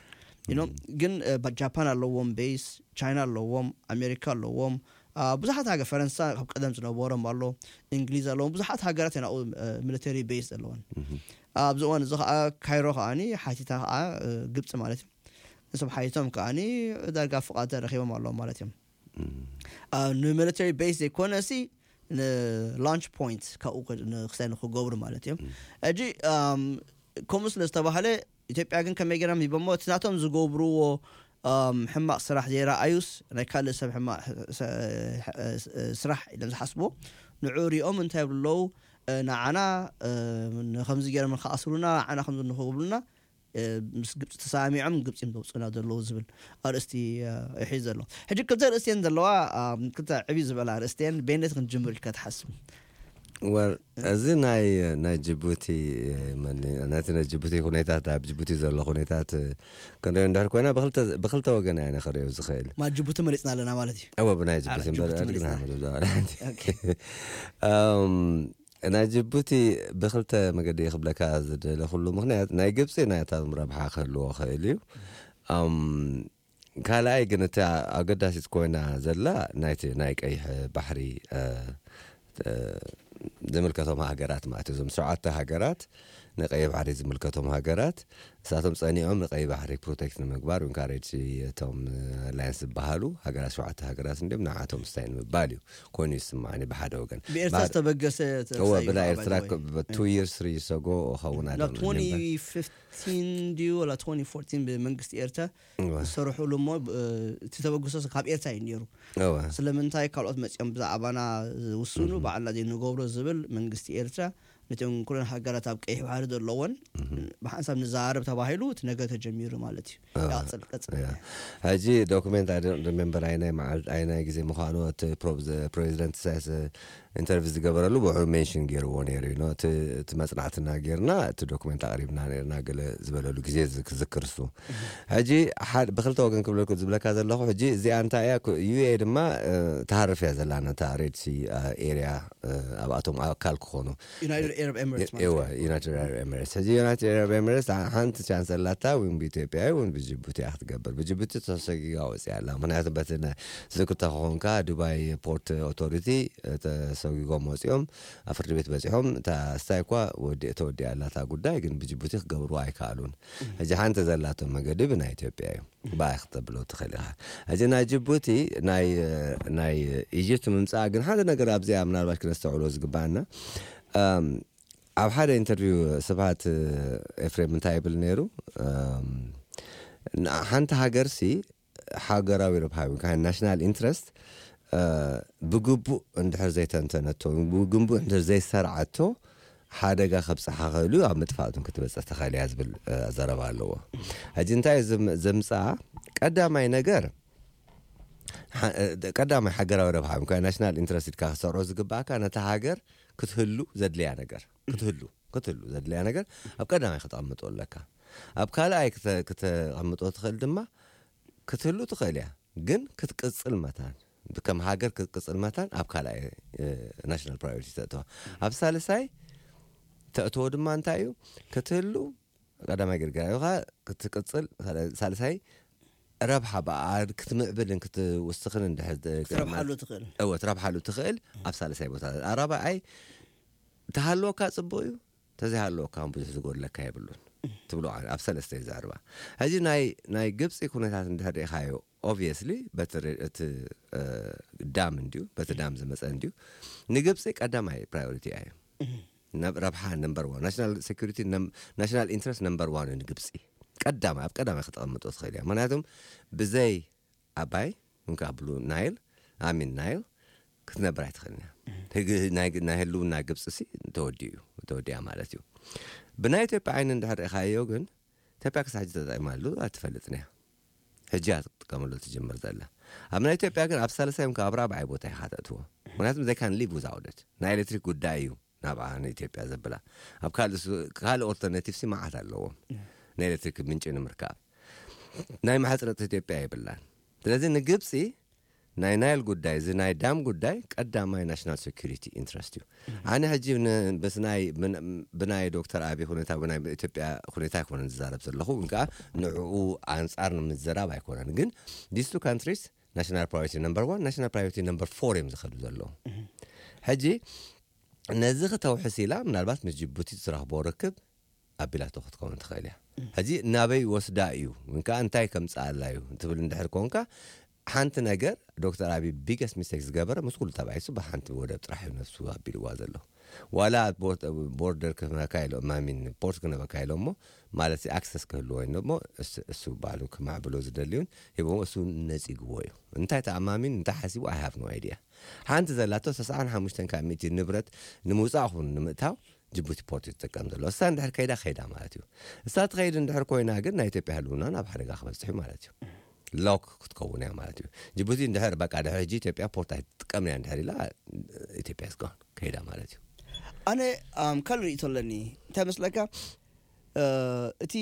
ኢኖም። ግን እ፣ ባ- ጃፓን ኣለዎም ቤስ፣ ቻይና ኣለዎም፣ ኣሜሪካ ኣለዎም፣ አ፣ ብዙሓት ሃገር ፈረንሳ ካብ ቀደም ዝነበሮም ኣሎ፣ እንግሊዝ ኣለዎም፣ ብዙሓት ሃገራት እየን ኣብኡ እ፣ ሚሊተሪ ቤስ ዘለወን። ኣብዚ እዋን እዚ ከዓ ካይሮ ከዓኒ ሓቲታ ከዓ እ፣ ግብፂ ማለት እዩ። ንሶም ሓቲቶም ከዓኒ ዳርጋ ፍቓድ ተረኪቦም ኣለዎም ማለት እዮም። አ፣ ንሚሊተሪ ቤስ ዘይኮነ ሲ ንላንች ፖይንት ካብኡ ክ- ንክሳይ ንክገብሩ ማለት እዮም። ሕጂ ኣም፣ ከምኡ ስለ ዝተባህለ ኢትዮጵያ ግን ከመይ ገይሮም ሂቦሞ እቲ ናቶም ዝገብርዎ ኣም፣ ሕማቕ ስራሕ ዘይረኣዩስ ናይ ካልእ ሰብ ሕማቕ ስ- ስ- ስራሕ ኢሎም ዝሓስብዎ ንዑ ሪኦም እንታይ ይብሉ ኣለዉ? እ፣ ንዓና እ፣ ንከምዚ ገይሮም ንክኣስሩና ንዓና ከምዚ ንክብሉና እ፣ ምስ ግብፂ ተሰማሚዖም ግብፂ እዮም ዘውፅኡና ዘለዉ ዝብል ኣርእስቲ እ፣ ይሒዝ ዘሎ። ሕጂ ክልተ ኣርእስቲ እየን ዘለዋ። ኣም፣ ክልተ ዕብይ ዝበላ ኣርእስቲ እየን። በየነይቲ ክንጅምር ኢልካ ትሓስብ? ወር እዚ ናይ ናይ ጅቡቲ መን ነቲ ናይ ጅቡቲ ኩነታት ኣብ ጅቡቲ ዘሎ ኩነታት ክንሪኦ እንድሕር ኮይና ብክልተ ብክልተ ወገን እያ ንክሪኦ ዝኽእል። ማ ጅቡቲ መሪፅና ኣለና ማለት እዩ። እወ ብናይ ጅቡቲ ኣረ፣ እምበር ጅቡቲ ኣድግና መሪፅና። ምድብዳብ። ኦኬ። እም፣ ናይ ጅቡቲ ብክልተ መገዲ ክብለካ ዝደለኩሉ ምክንያት ናይ ግብፂ ናይታም ረብሓ ክህልዎ ክእል እዩ። እም፣ ካልኣይ ግን እቲ ኣገዳሲት ኮይና ዘላ ናይቲ ናይ ቀይሕ ባሕሪ ዝምልከቶም ሃገራት ማለት እዩ። እዞም ሸውዓተ ሃገራት ንቀይሕ ባሕሪ ዝምልከቶም ሃገራት ንሳቶም ጸኒዖም ንቀይሕ ባሕሪ ፕሮቴክት ንምግባር ኢንካሬጅ እቶም ኣላያንስ ዝበሃሉ ሃገራት ሸውዓተ ሃገራት እንዲም ንዓቶም ስታይ ንምባል እዩ ኮይኑ ይስማዓኒ ብሓደ ወገን። ብኤርትራ ዝተበገሰ እወ ብናይ ኤርትራ two years three years ago ኸውን ናብ twenty fifteen ድዩ ወላ twenty fourteen ብመንግስቲ ኤርትራ ዝሰርሕሉ እሞ እቲ ተበግሶ ካብ ኤርትራ እዩ ነይሩ። ስለምንታይ ካልኦት መፂኦም ብዛዕባና ዝውስኑ ባዕልና ዘይንገብሮ ዝብል መንግስቲ ኤርትራ ነቶም ኩለን ሃገራት ኣብ ቀይሕ ባሕሪ ዘለዎን ብሓንሳብ ንዛረብ ተባሂሉ እቲ ነገር ተጀሚሩ ማለት እዩ። ይቐፅል ቀፅል። ሕጂ ዶኩሜንት ሪሜምበር ኣይናይ መዓል ኣይናይ ግዜ ምዃኑ እቲ ፕሬዚደንት ኢሳያስ ኢንተርቪው ዝገበረሉ ብውዕሉ ሜንሽን ገይርዎ ነይሩ እዩ። እቲ መፅናዕትና ጌርና እቲ ዶኩመንት ኣቕሪብና ነርና ገለ ዝበለሉ ግዜ ክዝክር እሱ። ሕጂ ብክልተ ወገን ክብለኩ ዝብለካ ዘለኹ ሕጂ እዚኣ እንታይ እያ? ዩ ኤ ድማ ትሃርፍ እያ ዘላ ነታ ሬድ ሲ ኤርያ ኣብኣቶም ኣካል ክኾኑ ዩናይትድ ኤረብ ኤምሬትስ ሕጂ ዩናይትድ ኤረብ ኤምሬትስ ሓንቲ ቻንስ ኣላታ እውን ብኢትዮጵያ እውን ብጅቡቲ እያ ክትገብር። ብጅቡቲ ተሰጊጋ ወፂያ ኣላ። ምክንያቱ በቲ ዝክተ ክኾንካ ዱባይ ፖርት ኦቶሪቲ ተሰጊጎም ወፂኦም ኣብ ፍርዲ ቤት በፂሖም እታ ስታይ እኳ ተወዲኣ ኣላታ ጉዳይ ግን ብጅቡቲ ክገብርዋ ኣይከኣሉን። ሕጂ ሓንቲ ዘላቶም መገዲ ብናይ ኢትዮጵያ እዩ። ብኣይ ክተብሎ ትኽእል ኢኻ። ሕጂ ናይ ጅቡቲ ናይ ኢጅፕት ምምፃእ ግን ሓደ ነገር ኣብዚኣ ምናልባት ክነስተውዕሎ ዝግባኣና ኣብ ሓደ ኢንተርቪው ስብሃት ኤፍሬም እንታይ ይብል ነይሩ? ሓንቲ ሃገር ሲ ሃገራዊ ረብሃ ናሽናል ኢንትረስት ብግቡእ እንድሕር ዘይተንተነቶ ብግቡእ እንድሕር ዘይሰርዓቶ ሓደጋ ከብፅሓ ክእሉ ኣብ ምጥፋእቱን ክትበፅሕ ተኽእል እያ ዝብል ዘረባ ኣለዎ። ሕጂ እንታይ ዘምፅኣ ቀዳማይ ነገር ቀዳማይ ሃገራዊ ረብሓ ብ ናሽናል ኢንትረስት ኢልካ ክሰርዖ ዝግባእካ ነታ ሃገር ክትህሉ ዘድልያ ነገር ክትህሉ ክትህሉ ዘድልያ ነገር ኣብ ቀዳማይ ከተቐምጦ ኣለካ። ኣብ ካልኣይ ክተቐምጦ ትኽእል ድማ ክትህሉ ትኽእል እያ፣ ግን ክትቅፅል መታን ከም ሃገር ክትቅፅል መታን ኣብ ካልኣይ ናሽናል ፕራዮሪቲ ተእተዋ። ኣብ ሳልሳይ ተእተዎ ድማ እንታይ እዩ ክትህሉ ቀዳማይ ግርግራ ኢኻ ክትቅፅል ሳልሳይ ረብሓ ብኣ ክትምዕብልን ክትውስኽን እንድሕር ክትረብሓሉ ትኽእል። እወ ትረብሓሉ ትኽእል ኣብ ሳልሳይ ቦታ። ኣራብዓይ ተሃለወካ ፅቡቅ እዩ፣ ተዘይሃለወካ ብዙሕ ዝጎድለካ የብሉን ትብሎ ኣብ ሰለስተ እዩ ዘዕርባ። ሕጂ ናይ ናይ ግብፂ ኩነታት እንድሕር ርኢኻዮ ኦብቪየስሊ በቲ እቲ ዳም እንድዩ በቲ ዳም ዝመፀ እንድዩ ንግብፂ ቀዳማይ ፕራዮሪቲ እያ። ረብሓ ነምበር ዋን ናሽናል ሴኩሪቲ ናሽናል ኢንትረስት ነምበር ዋን እዩ ንግብፂ ቀዳማይ ኣብ ቀዳማይ ክተቐምጦ ትኽእል እያ። ምክንያቱም ብዘይ ኣባይ እንካ ብሉ ናይል ኣሚን ናይል ክትነብር ኣይትኽእልን እያ። ናይ ህልውና ግብፂ ሲ ተወዲኡ እዩ ተወዲያ ማለት እዩ። ብናይ ኢትዮጵያ ዓይኒ እንድሕር ርኢኻዮ ግን ኢትዮጵያ ክሳብ ሕጂ ተጠቂማሉ ኣይትፈልጥን እያ። ሕጂ እያ ትጥቀመሉ ትጅምር ዘላ። ኣብ ናይ ኢትዮጵያ ግን ኣብ ሳልሳይ እንካ ኣብ ራብዓይ ቦታ ኢኻ ተእትዎ። ምክንያቱም they can live without it ናይ ኤሌክትሪክ ጉዳይ እዩ ናብኣ ንኢትዮጵያ ዘብላ። ኣብ ካልእ ኦልተርናቲቭ ሲ መዓት ኣለዎም ናይ ኤሌክትሪክ ምንጪ ንምርካብ። ናይ ማሕፅረጥ ኢትዮጵያ የብላን። ስለዚ ንግብፂ ናይ ናይል ጉዳይ እዚ ናይ ዳም ጉዳይ ቀዳማይ ናሽናል ሴኩሪቲ ኢንትረስት እዩ። ኣነ ሕጂ ብናይ ዶክተር ኣቢ ሁኔታ ብናይ ኢትዮጵያ ሁኔታ ኣይኮነን ዝዛረብ ዘለኹ ግን ከዓ ንዕኡ ኣንፃር ንምዝራብ ኣይኮነን ግን these two countries ናሽናል ፕራዮሪቲ ነምበር ዋን ናሽናል ፕራዮሪቲ ነምበር ፎር እዮም ዝኸዱ ዘለዉ። ሕጂ ነዚ ክተውሕስ ኢላ ምናልባት ምስ ጅቡቲ ዝረኽቦ ርክብ ኣቢላቶ ክትከውን ትኽእል እያ። ሕጂ ናበይ ወስዳ እዩ ወይ ከዓ እንታይ ከምፅኣላ እዩ ትብል እንድሕር ኮንካ ሓንቲ ነገር ዶክተር ኣቢ ቢገስት ሚስቴክ ዝገበረ ምስ ኩሉ ተባኢሱ ብሓንቲ ወደብ ጥራሕ እዩ ነፍሱ ኣቢልዋ ዘሎ። ዋላ ቦርደር ክህበካ ኢሎም ማሚን ፖርት ክነበካ ኢሎሞ ማለት ኣክሰስ ክህልዎ ወይ ሞ እሱ ባዕሉ ክማዕብሎ ዝደልዩን ሂቦሞ እሱ ነፂግዎ እዩ። እንታይ ተኣማሚን እንታይ ሓሲቡ ኣይ ሃቭ ኖ ኣይድያ። ሓንቲ ዘላቶ ሰስዓን ሓሙሽተን ካብ ሚእቲ ንብረት ንምውፃእ ኹን ንምእታው ጅቡቲ ፖርት እዩ ትጥቀም ዘሎ። እሳ እንድሕር ከይዳ ከይዳ ማለት እዩ። እሳ ትኸይድ እንድሕር ኮይና ግን ናይ ኢትዮጵያ ህልውና ናብ ሓደጋ ክበፅሕ እዩ ማለት እዩ። ሎክ ክትከውን እያ ማለት እዩ። ጅቡቲ እንድሕር በቃ ድሕር ሕጂ ኢትዮጵያ ፖርት ኣይትጥቀምን እያ እንድሕር ኢላ ኢትዮጵያ ስጋን ከይዳ ማለት እዩ። ኣነ ካልእ ርእቶ ኣለኒ እንታይ መስለካ እቲ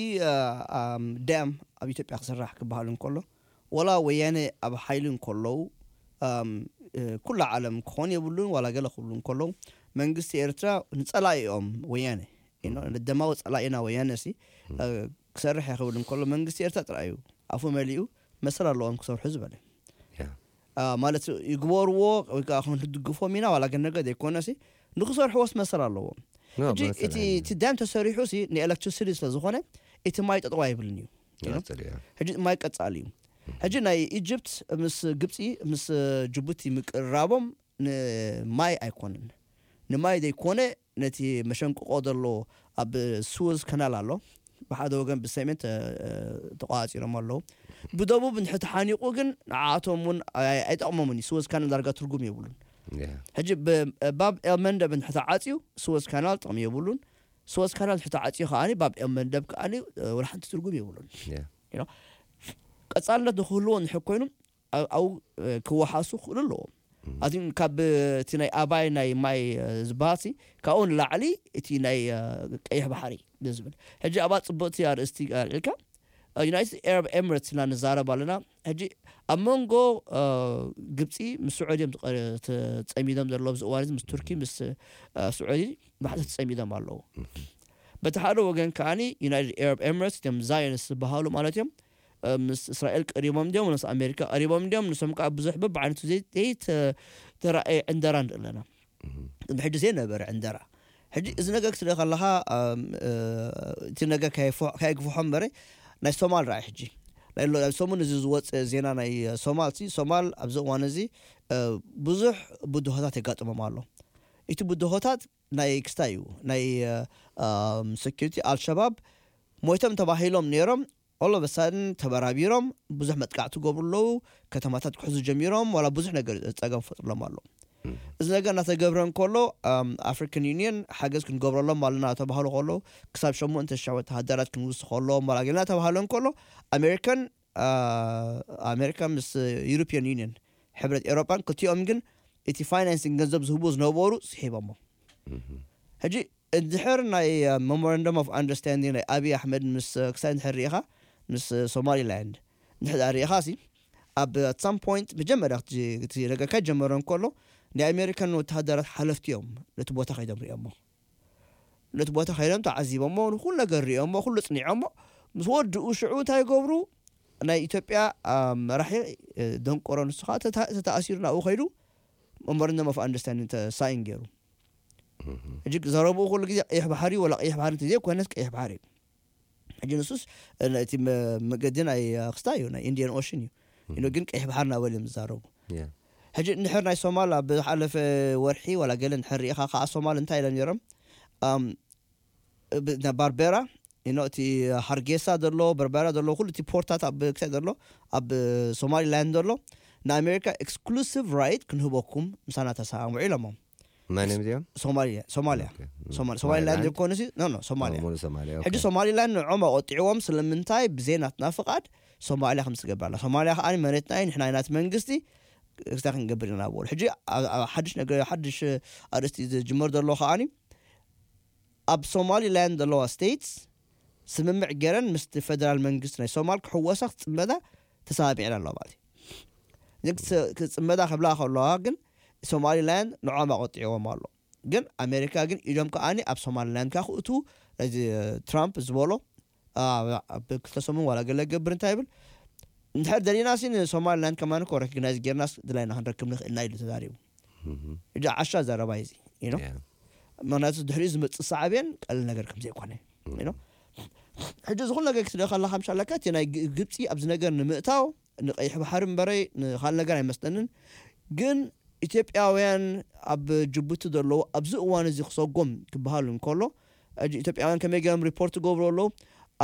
ዳም ኣብ ኢትዮጵያ ክስራሕ ክበሃል እንከሎ ወላ ወያነ ኣብ ሓይሊ እንከለዉ ኩላ ዓለም ክኾን የብሉን ዋላ ገለ ክብሉ እንከለዉ መንግስቲ ኤርትራ ንፀላኢኦም ወያነ ደማዊ ፀላኢና ወያነ ሲ ክሰርሕ እየ ክብል እንከሎ መንግስቲ ኤርትራ ጥራይ እዩ ኣፉ መሊኡ መሰል ኣለዎም ክሰርሑ ዝበለ ማለት ይግበርዎ ወይ ከዓ ክንድግፎም ኢና ዋላ ግን ነገር ዘይኮነሲ ንክሰርሕዎስ መሰል ኣለዎም ሕጂ እቲ ዳም ተሰሪሑ ሲ ንኤሌክትሪሲቲ ስለዝኾነ እቲ ማይ ጠጠዋ ይብልን እዩ ሕጂ ማይ ቀፃል እዩ ሕጂ ናይ ኢጅፕት ምስ ግብፂ ምስ ጅቡቲ ምቅርራቦም ንማይ ኣይኮንን ንማይ ዘይኮነ ነቲ መሸንቅቆ ዘሎ ኣብ ስወዝ ከናል ኣሎ ብሓደ ወገን ብሰሜን ተቋፂሮም ኣለዉ ብደቡብ ንሕቲ ሓኒቁ ግን ንዓኣቶም እውን ኣይጠቕሞምን እዩ ስወዝ ካናል ዳርጋ ትርጉም የብሉን ሕጂ ባብ ኤልመንደብ ንሕቲ ዓፅዩ ስወዝ ካናል ጥቕሚ የብሉን ስወዝ ካናል ንሕቲ ዓፅዩ ከዓ ባብ ኤልመንደብ ከዓ ወላ ሓንቲ ትርጉም የብሉን ቀፃልነት ንክህልዎ ንሕኮይኑ ኣብኡ ክወሓሱ ክኽእሉ ኣለዎም ኣቲ ካብ እቲ ናይ ኣባይ ናይ ማይ ዝበሃል ካብኡ ንላዕሊ እቲ ናይ ቀይሕ ባሕሪ ዝብል ሕጂ ኣብኣ ፅቡቅቲ ኣርእስቲ ኣልዒልካ ዩናይትድ ኤረብ ኤምሬትስ ኢና ንዛረብ ኣለና ሕጂ ኣብ መንጎ ግብፂ ምስ ስዑዲ እዮም ተፀሚዶም ዘለዉ ኣብዚ እዋን እዚ ምስ ቱርኪ ምስ ስዑዲ ባሕቲ ተፀሚዶም ኣለዉ በቲ ሓደ ወገን ከዓኒ ዩናይትድ ኤረብ ኤምሬትስ እዮም ዛዮንስ ዝበሃሉ ማለት እዮም ምስ እስራኤል ቀሪቦም እንዲዮም ምስ ኣሜሪካ ቀሪቦም እንዲዮም ንሶም ከዓ ብዙሕ በብዓይነቱ ዘይተረኣየ ዕንደራ ንርኢ ኣለና ቅድሚ ሕጂ ዘይነበረ ዕንደራ ሕጂ እዚ ነገር ክትርኢ ከለካ እቲ ነገር ከየግፍሖ እምበረ ናይ ሶማል ረኣይ ሕጂ ናይ ሰሙን እዚ ዝወፀ ዜና ናይ ሶማል ሲ ሶማል ኣብዚ እዋን እዚ ብዙሕ ብድሆታት የጋጥሞም ኣሎ እቲ ብድሆታት ናይ ክስታይ እዩ ናይ ሴኩሪቲ ኣልሸባብ ሞይቶም ተባሂሎም ነይሮም all of a sudden ተበራቢሮም ብዙሕ መጥቃዕቲ ገብሩ ኣለዉ ከተማታት ክሕዙ ጀሚሮም ዋላ ብዙሕ ነገር ፀገም ፈጥሮሎም ኣሎ እዚ ነገር እናተገብረ እንከሎ ኣፍሪካን ዩኒየን ሓገዝ ክንገብረሎም ኣለና ተባህሉ ከሎ ክሳብ ሸሞንተ ሽሕ ወተሃደራት ክንውስ ከለዎም ዋላ ገለና ተባህሉ እንከሎ ኣሜሪካን ኣሜሪካ ምስ ዩሮፒያን ዩኒየን ሕብረት ኤሮጳን ክልቲኦም ግን እቲ ፋይናንሲንግ ገንዘብ ዝህቡ ዝነበሩ ስሒቦሞ ሕጂ እንድሕር ናይ መሞራንደም ኦፍ ኣንደርስታንዲንግ ናይ ኣብይ ኣሕመድ ምስ ክሳይ እንድሕር ርኢኻ ምስ ሶማሊላንድ እንድሕር ርኢኻ ሲ ኣብ ኣት ሳም ፖይንት መጀመርያ እቲ ረገካ ጀመረ እንከሎ ናይ ኣሜሪካን ወተሃደራት ሓለፍቲ እዮም ነቲ ቦታ ከይዶም ሪኦሞ ነቲ ቦታ ከይዶም ተዓዚቦሞ ንኩሉ ነገር ሪኦሞ ኩሉ ፅኒዖሞ ምስ ወድኡ ሽዑ እንታይ ይገብሩ ናይ ኢትዮጵያ መራሒ ደንቆሮ ንሱ ከዓ ተተኣሲሩ ናብኡ ከይዱ መሞራንደም ኦፍ ኣንደርስታንዲንግ ሳይን ገይሩ ሕጂ ዘረብኡ ኩሉ ግዜ ቀይሕ ባሕሪ ወላ ቀይሕ ባሕሪ እንተዘይኮነስ ቀይሕ ባሕሪ እዩ ሕጂ ንሱስ እቲ መገዲ ናይ ክስታ እዩ ናይ ኢንዲያን ኦሽን እዩ ኢኖ ግን ቀይሕ ባሕሪ ናበል እዮም ዝዛረቡ ሕጂ እንድሕር ናይ ሶማል ኣብ ዝሓለፈ ወርሒ ዋላ ገለ እንድሕር ርኢኻ ከዓ ሶማል እንታይ ኢሎም ነይሮም ባርቤራ ኢኖ እቲ ሃርጌሳ ዘሎ በርበራ ዘሎ ኩሉ እቲ ፖርታት ኣብ ክሳይ ዘሎ ኣብ ሶማሊላንድ ዘሎ ንኣሜሪካ ኤክስክሉሲቭ ራይት ክንህበኩም ምሳና ተሰማምዑ ኢሎሞም ማንም እዚኦም ሶማሊያ ሶማሊያ ሶማሊ ሶማሊላንድ ዝኾነ ሲ ኖ ኖ ሶማሊያ ሙሉ ሶማሊያ ሕጂ ሶማሊላንድ ንዖም ኣቆጢዕዎም ስለምንታይ ብዘይ ናትና ፍቃድ ሶማሊያ ከም ትገብር ኣላ ሶማሊያ ከዓ መሬትና እዩ ንሕና ናት መንግስቲ ክስታ ክንገብር ኢና በሉ ሕጂ ሓድሽ ነገር ሓድሽ ኣርእስቲ ዝጅመር ዘሎ ከዓኒ ኣብ ሶማሊላንድ ዘለዋ ስቴትስ ስምምዕ ገይረን ምስቲ ፌደራል መንግስቲ ናይ ሶማል ክሕወሳ ክፅመዳ ተሰማሚዐን ኣለዋ ማለት እዩ ክፅመዳ ክብላ ከለዋ ግን ሶማሊላንድ ንዖም ኣቆጢዕዎም ኣሎ ግን ኣሜሪካ ግን ኢዶም ከዓኒ ኣብ ሶማሊላንድ ካ ክእቱ እዚ ትራምፕ ዝበሎ ኣብ ክልተ ሰሙን ዋላ ገለ ገብር እንታይ ይብል እንድሕር ደሊና ሲ ንሶማሊላንድ ከማን ኮ ረክግናይዝ ጌርናስ ድላይና ክንረክብ ንኽእልና ኢሉ ተዛሪቡ እጃ ዓሻ ዘረባ እዚ you know ምክንያቱ ድሕሪኡ ዝመፅእ ሳዕቤን ቀልል ነገር ከም ዘይኮነ you know ሕጂ ዝኹሉ ነገር ክትርኢ ከለካ ምሻለካ እቲ ናይ ግ- ግብፂ ኣብዚ ነገር ንምእታው ንቀይሕ ባሕሪ እምበረይ ንካል ነገር ኣይመስለንን ግን ኢትዮጵያውያን ኣብ ጅቡቲ ዘለዉ ኣብዚ እዋን እዚ ክሰጎም ክበሃል እንከሎ ሕጂ ኢትዮጵያውያን ከመይ ገይሮም ሪፖርት ገብሩ ኣለዉ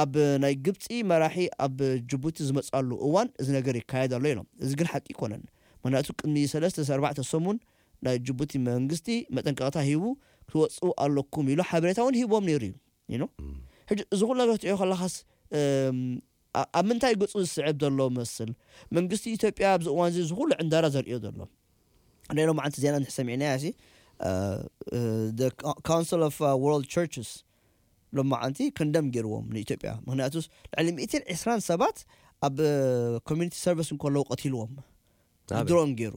ኣብ ናይ ግብፂ መራሒ ኣብ ጅቡቲ ዝመፅኣሉ እዋን እዚ ነገር ይካየድ ኣሎ ኢሎም እዚ ግን ሓቂ ይኮነን ምክንያቱ ቅድሚ ሰለስተ ኣርባዕተ ሰሙን ናይ ጅቡቲ መንግስቲ መጠንቀቕታ ሂቡ ክትወፅኡ ኣለኩም ኢሉ ሓበሬታ እውን ሂቦም ነይሩ እዩ you know? ሕጂ እዚ ኩሉ ነገር ትሪኦ ከለካስ እም፣ ኣ- ኣብ ምንታይ ገፁ ዝስዕብ ዘሎ መስል መንግስቲ ኢትዮጵያ ኣብዚ እዋን እዚ ዝኩሉ ዕንዳራ ዘርእዮ ዘሎ ናይ ሎማዓንቲ ዜና እንድሕር ሰሚዕናያ ሲ council of world churches ሎማዓንቲ ከንደም ገይርዎም ንኢትዮጵያ ምክንያቱ ልዕሊ ሚእትን ዕስራን ሰባት ኣብ ኮሚኒቲ ሰርቪስ እንከለዉ ቀቲልዎም ኣበይ? ድሮን ገይሩ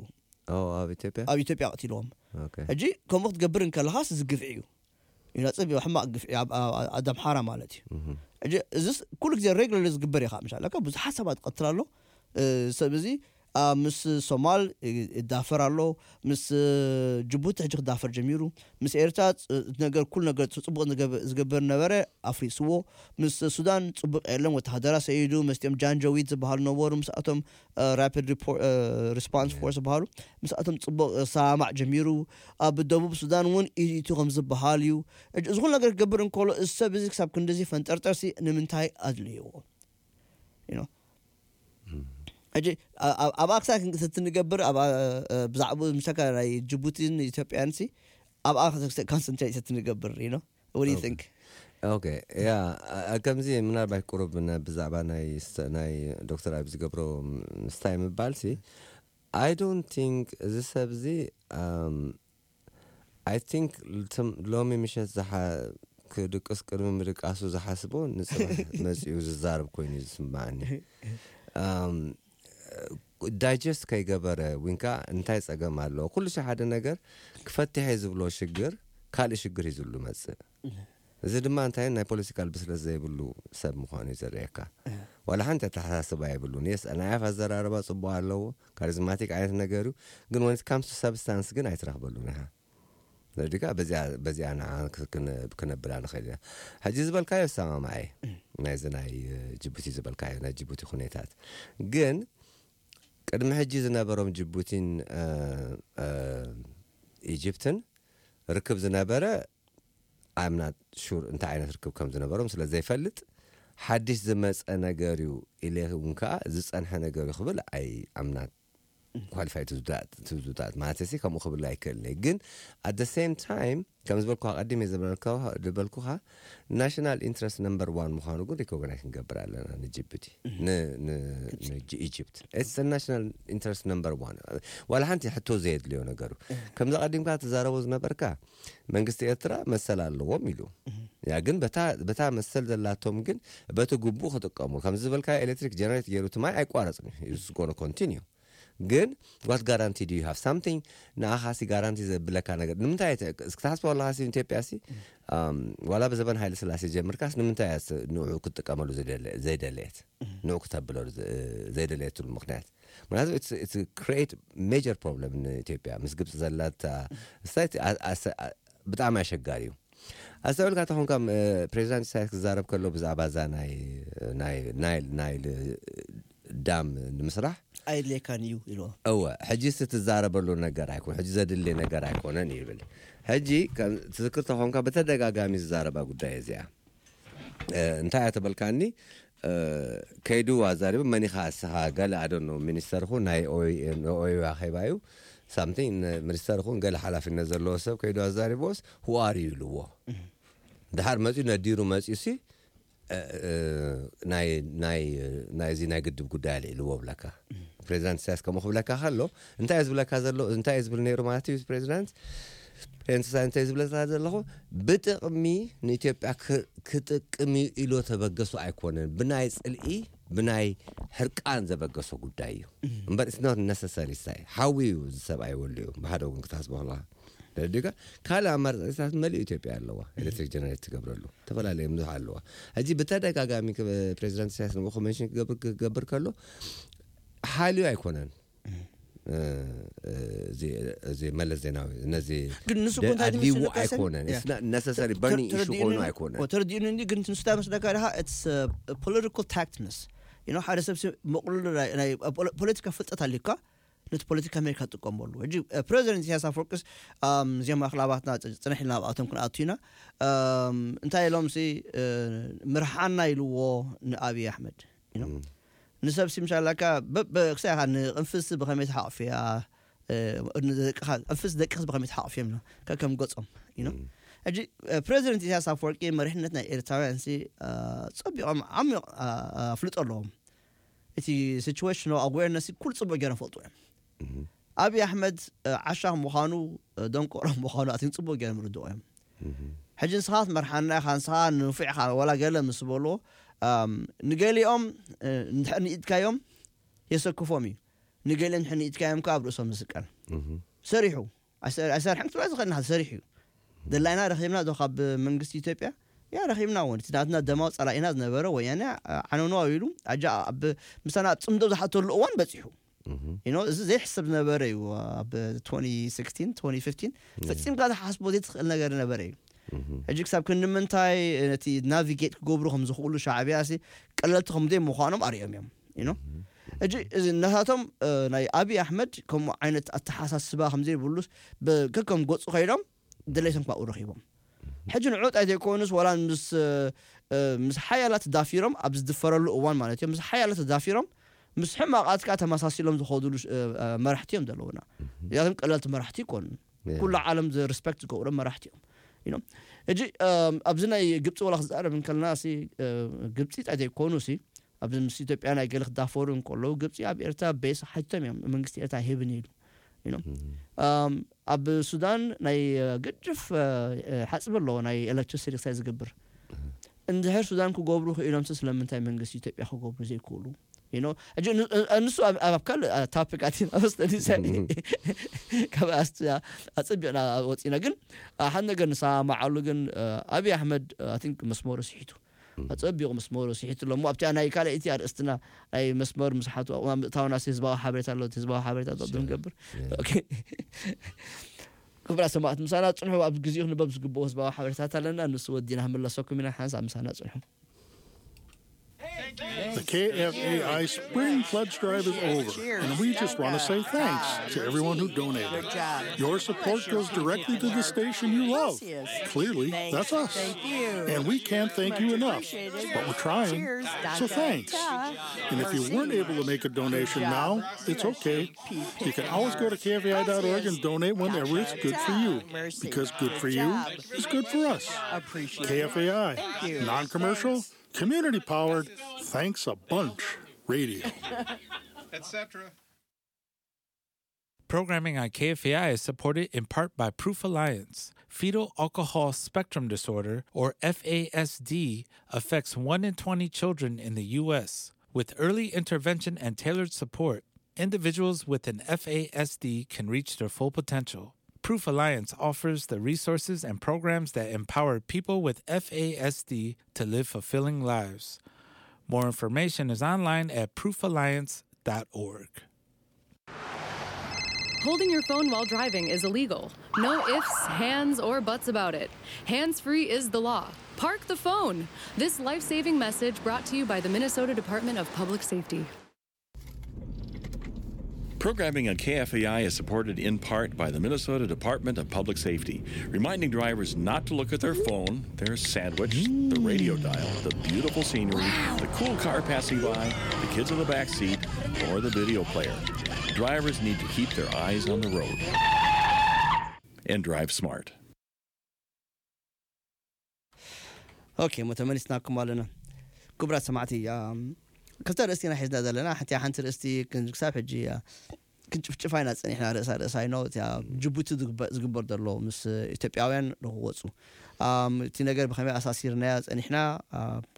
ኦ ኣብ ኢትዮጵያ ኣብ ኢትዮጵያ ቀቲልዎም ኦኬ ሕጂ ከምኡ ክትገብር እንከለኻስ እዚ ግፍዒ እዩ ይነፅብ ሕማቅ ግፍዒ ኣብ- ኣብ- ኣብ ኣምሓራ ማለት እዩ ሕጂ እዚስ ኩሉ ግዜ ሬግለር ዝግበር እዩ ከዓ ምሻለካ ብዙሓት ሰባት ትቀትል ኣሎ ሰብ እዚ ምስ ሶማል ይዳፈር ኣሎ፣ ምስ ጅቡቲ ሕጂ ክዳፈር ጀሚሩ፣ ምስ ኤርትራ ነገር ኩሉ ነገር ፅቡቅ ዝገብር ነበረ ኣፍሪስዎ። ምስ ሱዳን ፅቡቅ የለን፣ ወተሃደራ ሰይዱ፣ መስኦም ጃንጀዊድ ዝበሃሉ ነበሩ፣ ምስኣቶም ራፒድ ሪስፖንስ ፎርስ ዝበሃሉ ምስኣቶም ፅቡቅ ሰማማዕ ጀሚሩ። ኣብ ደቡብ ሱዳን እውን ኢቱ ከም ዝበሃል እዩ። እዚ ኩሉ ነገር ክገብር እንከሎ እዚ ሰብ እዚ ክሳብ ክንድዚ ፈንጠርጠርሲ ንምንታይ ኣድልይዎ? ሕጂ ኣብኣ ክሳብ ክንሰቲ ንገብር፣ ብዛዕባ ምሳካ ናይ ጅቡቲን ኢትዮጵያን ሲ ኣብኣ ኮንሰንትሬት ሰቲ ንገብር። What do you think? ኦኬ፣ ያ ከምዚ ምናልባት ቁሩብ ብዛዕባ ናይ ዶክተር ኣብ ዝገብሮ ምስታይ ምባል ሲ I don't think እዚ ሰብ እዚ I think ሎሚ ምሸት ክድቅስ ቅድሚ ምድቃሱ ዝሓስቦ ንፅባሕ መፂኡ ዝዛረብ ኮይኑ እዩ ዝስማዓኒ። ዳይጀስት ከይገበረ ወይንካ እንታይ ፀገም ኣለዎ? ኩሉ ሺ ሓደ ነገር ክፈትሐ ዝብሎ ሽግር ካልእ ሽግር እዩ ዝሉ መፅእ። እዚ ድማ እንታይ ናይ ፖለቲካል ብስለት ዘይብሉ ሰብ ምዃኑ እዩ ዘርእየካ። ዋላ ሓንቲ ኣተሓሳስባ የብሉን። የስ ናይ ኣፍ ኣዘራርባ ፅቡቅ ኣለዎ፣ ካሪዝማቲክ ዓይነት ነገር እዩ፣ ግን ወንት ካምስ ቱ ሰብስታንስ ግን ኣይትረኽበሉን ኢኻ። ዲካ በዚኣ ንዓ ክነብላ ንኽእል ኢና። ሕጂ ዝበልካዮ ሰማማዐ ናይዚ ናይ ጅቡቲ ዝበልካዮ ናይ ጅቡቲ ኩነታት ግን ቅድሚ ሕጂ ዝነበሮም ጅቡቲን ኢጅፕትን ርክብ ዝነበረ ኣምና ሹር እንታይ ዓይነት ርክብ ከም ዝነበሮም ስለ ዘይፈልጥ ሓድሽ ዝመፀ ነገር እዩ ኢለ እውን ከዓ ዝፀንሐ ነገር እዩ ክብል ኣይ ኣምናት ኳሊፋይ ትዝዳት ማለት ሲ ከምኡ ክብል ኣይክእልን እየ። ግን ኣት ሴም ታይም ከም ዝበልኩ ቀዲም ዝበልኩካ ናሽናል ኢንትረስት ነምበር ዋን ምኳኑ ግን ሪኮግናይዝ ክንገብር ኣለና ንጅቡቲ ንኢጅፕት ኢትስ ናሽናል ኢንትረስት ነምበር ዋን። ዋላ ሓንቲ ሕቶ ዘየድልዮ ነገሩ ከምዚ ቀዲምካ ትዛረቦ ዝነበርካ መንግስቲ ኤርትራ መሰል ኣለዎም ኢሉ ያ ግን በታ መሰል ዘላቶም ግን በቲ ግቡእ ክጥቀሙ ከምዚ ዝበልካ ኤሌክትሪክ ጀነሬት ገይሩ ትማይ ኣይቋረፅን እዩ ስጎነ ኮንቲኒዩ። ግን what guarantee do you have something ንኣኻ ሲ ጋራንቲ ዘብለካ ነገር ንምንታይ ክትሓስቦ ኣለካ ሲ ኢትዮጵያ ሲ ዋላ ብዘበን ሃይለ ስላሴ ጀምርካስ ንምንታይ ንዑ ክትጥቀመሉ ዘይደለየት ንዑ ክተብለሉ ዘይደለየትሉ ምክንያት ምክንያቱ create major problem ንኢትዮጵያ ምስ ግብፂ ዘላታ ስታይት ብጣዕሚ ኣሸጋሪ እዩ። ኣስተውዕልካ ተኾንካ ፕሬዚዳንት ኢሳያስ ክዛረብ ከሎ ብዛዕባ እዛ ናይ ናይል ዳም ንምስራሕ ኣይድልየካን እዩ ኢልዎ። እወ ሕጂ ስ ትዛረበሉ ነገር ኣይኮነ ሕጂ ዘድሊ ነገር ኣይኮነን ይብል። ሕጂ ትዝክር ተኾንካ ብተደጋጋሚ ዝዛረባ ጉዳይ እዚኣ እንታይ እያ ተበልካኒ ከይዱ ኣዛሪቡ መኒኻ እስኻ ገለ ኣደኖ ሚኒስተር ኹ ናይ ኦዩ ኣኼባ እዩ ሳምቲንግ ሚኒስተር ኹን ገለ ሓላፍነት ዘለዎ ሰብ ከይዱ ኣዛሪቦስ ሁኣር እዩ ኢልዎ። ድሓር መፅኡ ነዲሩ መፅኡ ሲ ናይዚ ናይ ግድብ ጉዳይ ኣልዒልዎ ብለካ ፕሬዚዳንት ኢሳያስ ከምኡ ክብለካ ከሎ እንታይ እዩ ዝብለካ ዘሎ እንታይ እዩ ዝብል ነይሩ ማለት እዩ ፕሬዚዳንት ፕሬዚዳንት ኢሳያስ እንታይ ዝብለካ ዘለኹ ብጥቕሚ ንኢትዮጵያ ክጥቅም እዩ ኢሎ ተበገሱ ኣይኮነን ብናይ ፅልኢ ብናይ ሕርቃን ዘበገሶ ጉዳይ እዩ እምበር it's not necessary ሳይ ሓዊ እዩ እዚ ሰብኣይ ወሉ እዩ ብሓደ ወገን ክትሓስቦ ከለካ ደዲጋ ካልእ ኣማራፂታት መሊኡ ኢትዮጵያ ኣለዋ ኤሌክትሪክ ጀነሬት ትገብረሉ ዝተፈላለዩ ምዙሕ ኣለዋ ሕጂ ብተደጋጋሚ ፕሬዚዳንት ኢሳያስ ንኡ ኮንቨንሽን ክገብር ከሎ ሓልዩ ኣይኮነን እዚ መለስ ዜናዊ ነዚ ግን ንሱ እኮ እንታይ ኣድልይዎ ዝመስለካ ሰብ? ኣይኮነን Yeah. ነሰሰሪ በርኒንግ ኢሹ ተረዲኡኒ- ኮይኑ ኣይኮነን ተረዲኡኒ እንዲ ግን ንሱ እንታይ መስለካ ድኻ ፖለቲካል ታክትነስ ሓደ ሰብ ሲ መቕልሉ ናይ- ናይ ፖለ- ፖለቲካ ፍልጠት ኣልካ ነቲ ፖለቲካ ኣሜሪካ ትጥቀመሉ ሕጂ ፕሬዚደንት ኢሳያስ ኣፈወርቅስ እዚኦም ኣክላባትና ጽንሕ ኢልና ኣብኣቶም ክንኣቱ ኢና እንታይ ኢሎም ሲ ምርሓና ኢልዎ ንኣብይ ኣሕመድ ንሰብ ሲ ምሻላካ ክሳኻ ንቅንፍስ ብኸመይ ተሓቕፍያ ንደቅኻ ቅንፍስ ደቅስ ብኸመይ ተሓቕፍዮም ከከም ገጾም ሕጂ ፕሬዚደንት ኢሳያስ ኣፈወርቂ መሪሕነት ናይ ኤርትራውያን ሲ ጸቢቖም ዓሚቕ ኣፍልጦ ኣለዎም እቲ ሲቹዌሽን ኣዌርነስ ኩሉ ጽቡቅ ገይሮም ፈልጡ እዮም ኣብይ ኣሕመድ ዓሻ ምዃኑ ደንቆሮ ምዃኑ ኣትን ጽቡቅ ገይሮም ርድኦ እዮም ሕጂ ንስኻ ትመርሓና ኢኻ ንስኻ ንፉዕ ኢኻ ዋላ ገለ ምስ በልዎ ንገሊኦም ንድሕር ንኢድካዮም የሰክፎም እዩ ንገሊኦም ንድሕር ንኢድካዮም ከዓ ኣብ ርእሶም ዝስቀል ሰሪሑ ኣይሰርሐን ክትብላ ዝኽእል ንሓ ሰሪሑ እዩ ደላይና ረኺብና ዶ ካብ መንግስቲ ኢትዮጵያ ያ ረኺብና እውን እቲ ናትና ደማዊ ጸላኢና ዝነበረ ወያነ ዓነኖ ኣቢሉ ኣጃ ኣብ ምሳና ኣብ ጽምዶ ዝሓተሉ እዋን በጺሑ። You know፣ እዚ ዘይሕሰብ ዝነበረ እዩ። ኣብ twenty sixteen twenty fifteen ፈጺምካ ዝሓስቦ ዘይትኽእል ነገር ነበረ እዩ። ሕጂ ክሳብ ክንዲ ምንታይ ነቲ ናቪጌት ክገብሩ ከም ዝኽእሉ ሻዕብያ ሲ ቀለልቲ ከም ዘይምዃኖም ኣርእዮም እዮም። You know፣ ሕጂ እዚ ነታቶም ናይ ኣብይ ኣሕመድ ከምኡ ዓይነት ኣተሓሳስባ ከም ዘይብሉስ ከከም ገጹ ከይዶም ድሌቶም ካብኡ ረኺቦም። ሕጂ ንዑ ጣይ ዘይኮኑስ ዋላ ምስ ምስ ሓያላት ዳፊሮም ኣብ ዝድፈረሉ እዋን ማለት እዮም፣ ምስ ሓያላት ዳፊሮም ምስ ሕማቓት ከዓ ተመሳሲሎም ዝኸዱሉ መራሕቲ እዮም ዘለውና። እዚኣቶም ቀለልቲ መራሕቲ ይኮኑ። ኩሉ ዓለም ሪስፐክት ዝገብሮም መራሕቲ እዮም። ሕጂ ኣብዚ ናይ ግብፂ ወላ ክዛረብ እንከለና ግብፂ ጣይ ዘይኮኑ ሲ ኣብዚ ምስ ኢትዮጵያ ናይ ገለ ክዳፈሩ እንከለዉ ግብፂ ኣብ ኤርትራ ቤስ ሓቲቶም እዮም፣ መንግስቲ ኤርትራ ሂብን ኢሉ። ኣብ ሱዳን ናይ ገድፍ ሓፅቢ ኣለዎ ናይ ኤሌክትሪሲቲ ክሳይ ዝገብር። እንድሕር ሱዳን ክገብሩ ክኢሎም ስለምንታይ መንግስቲ ኢትዮጵያ ክገብሩ ዘይክእሉ? You know፣ ሕጂ ን- እ- ንሱ ኣብ ኣብ ካልእ እ፣ ታፒክ ኣቲና መስተኒ ሰኒ ካብ ኣስትያ ኣጸቢቕና ወፂና። ግን እ፣ ሓደ ነገር ንሰማማዓሉ ግን እ፣ ኣብይ ኣሕመድ ኣይ ቲንክ መስመሩ ስሒቱ፣ ኣጸቢቑ መስመሩ ስሒቱ ኣሎ እሞ ኣብቲኣ ናይ ካልኣይቲ ኣርእስትና ናይ መስመር ምስሓቱ ኣብኡ ምእታውና ህዝባዊ ሓበሬታ ኣሎ። ህዝባዊ ሓበሬታ ዶ ንገብር? ኦኬ። ክብራ ሰማዕት ምሳና ፅንሑ። ኣብ ግዜኡ ክንበብ ዝግብኦ ህዝባዊ ሓበሬታት ኣለና፣ ንሱ ወዲና ክንምለሰኩም ኢና። ሓንሳብ ምሳና ፅንሑ። The K F A I Spring Pledge Drive is over, and we just want to say thanks to everyone who donated. Your support goes directly to the station you love. Clearly, that's us. And we can't thank you enough, but we're trying. So thanks. And if you weren't able to make a donation now, it's okay. You can always go to K F A I dot org and donate whenever it's good for you, because good for you is good for us. K F A I, non commercial, community powered, thanks a bunch radio. et cetera. Programming on K F A I is supported in part by Proof Alliance. Fetal alcohol spectrum disorder, or F A S D, affects one in twenty children in the U S. With early intervention and tailored support, individuals with an F A S D can reach their full potential. Proof Alliance offers the resources and programs that empower people with F A S D to live fulfilling lives. More information is online at proof alliance dot org. Holding your phone while driving is illegal. No ifs, hands, or buts about it. Hands free is the law. Park the phone! This life saving message brought to you by the Minnesota Department of Public Safety. Programming on K F A I is supported in part by the Minnesota Department of Public Safety, reminding drivers not to look at their phone, their sandwich, the radio dial, the beautiful scenery, the cool car passing by, the kids in the back seat, or the video player. Drivers need to keep their eyes on the road and drive smart. ኦኬ፣ እሞ ተመሊስናኩም ኣለና። ክቡራት ሰማዕቲ፣ ክልተ ርእስቲ ኢና ሒዝና ዘለና። ሓንቲ ሓንቲ ርእስቲ ክሳብ ሕጂ ክንጭፍጭፋ ኢና ጸኒሕና፣ ርእሳ ርእሳ ይኖ። እቲኣ ጅቡቲ ዝግበር ዘሎ ምስ ኢትዮጵያውያን ንክወፁ እቲ ነገር ብኸመይ ኣሳሲርናዮ ጸኒሕና።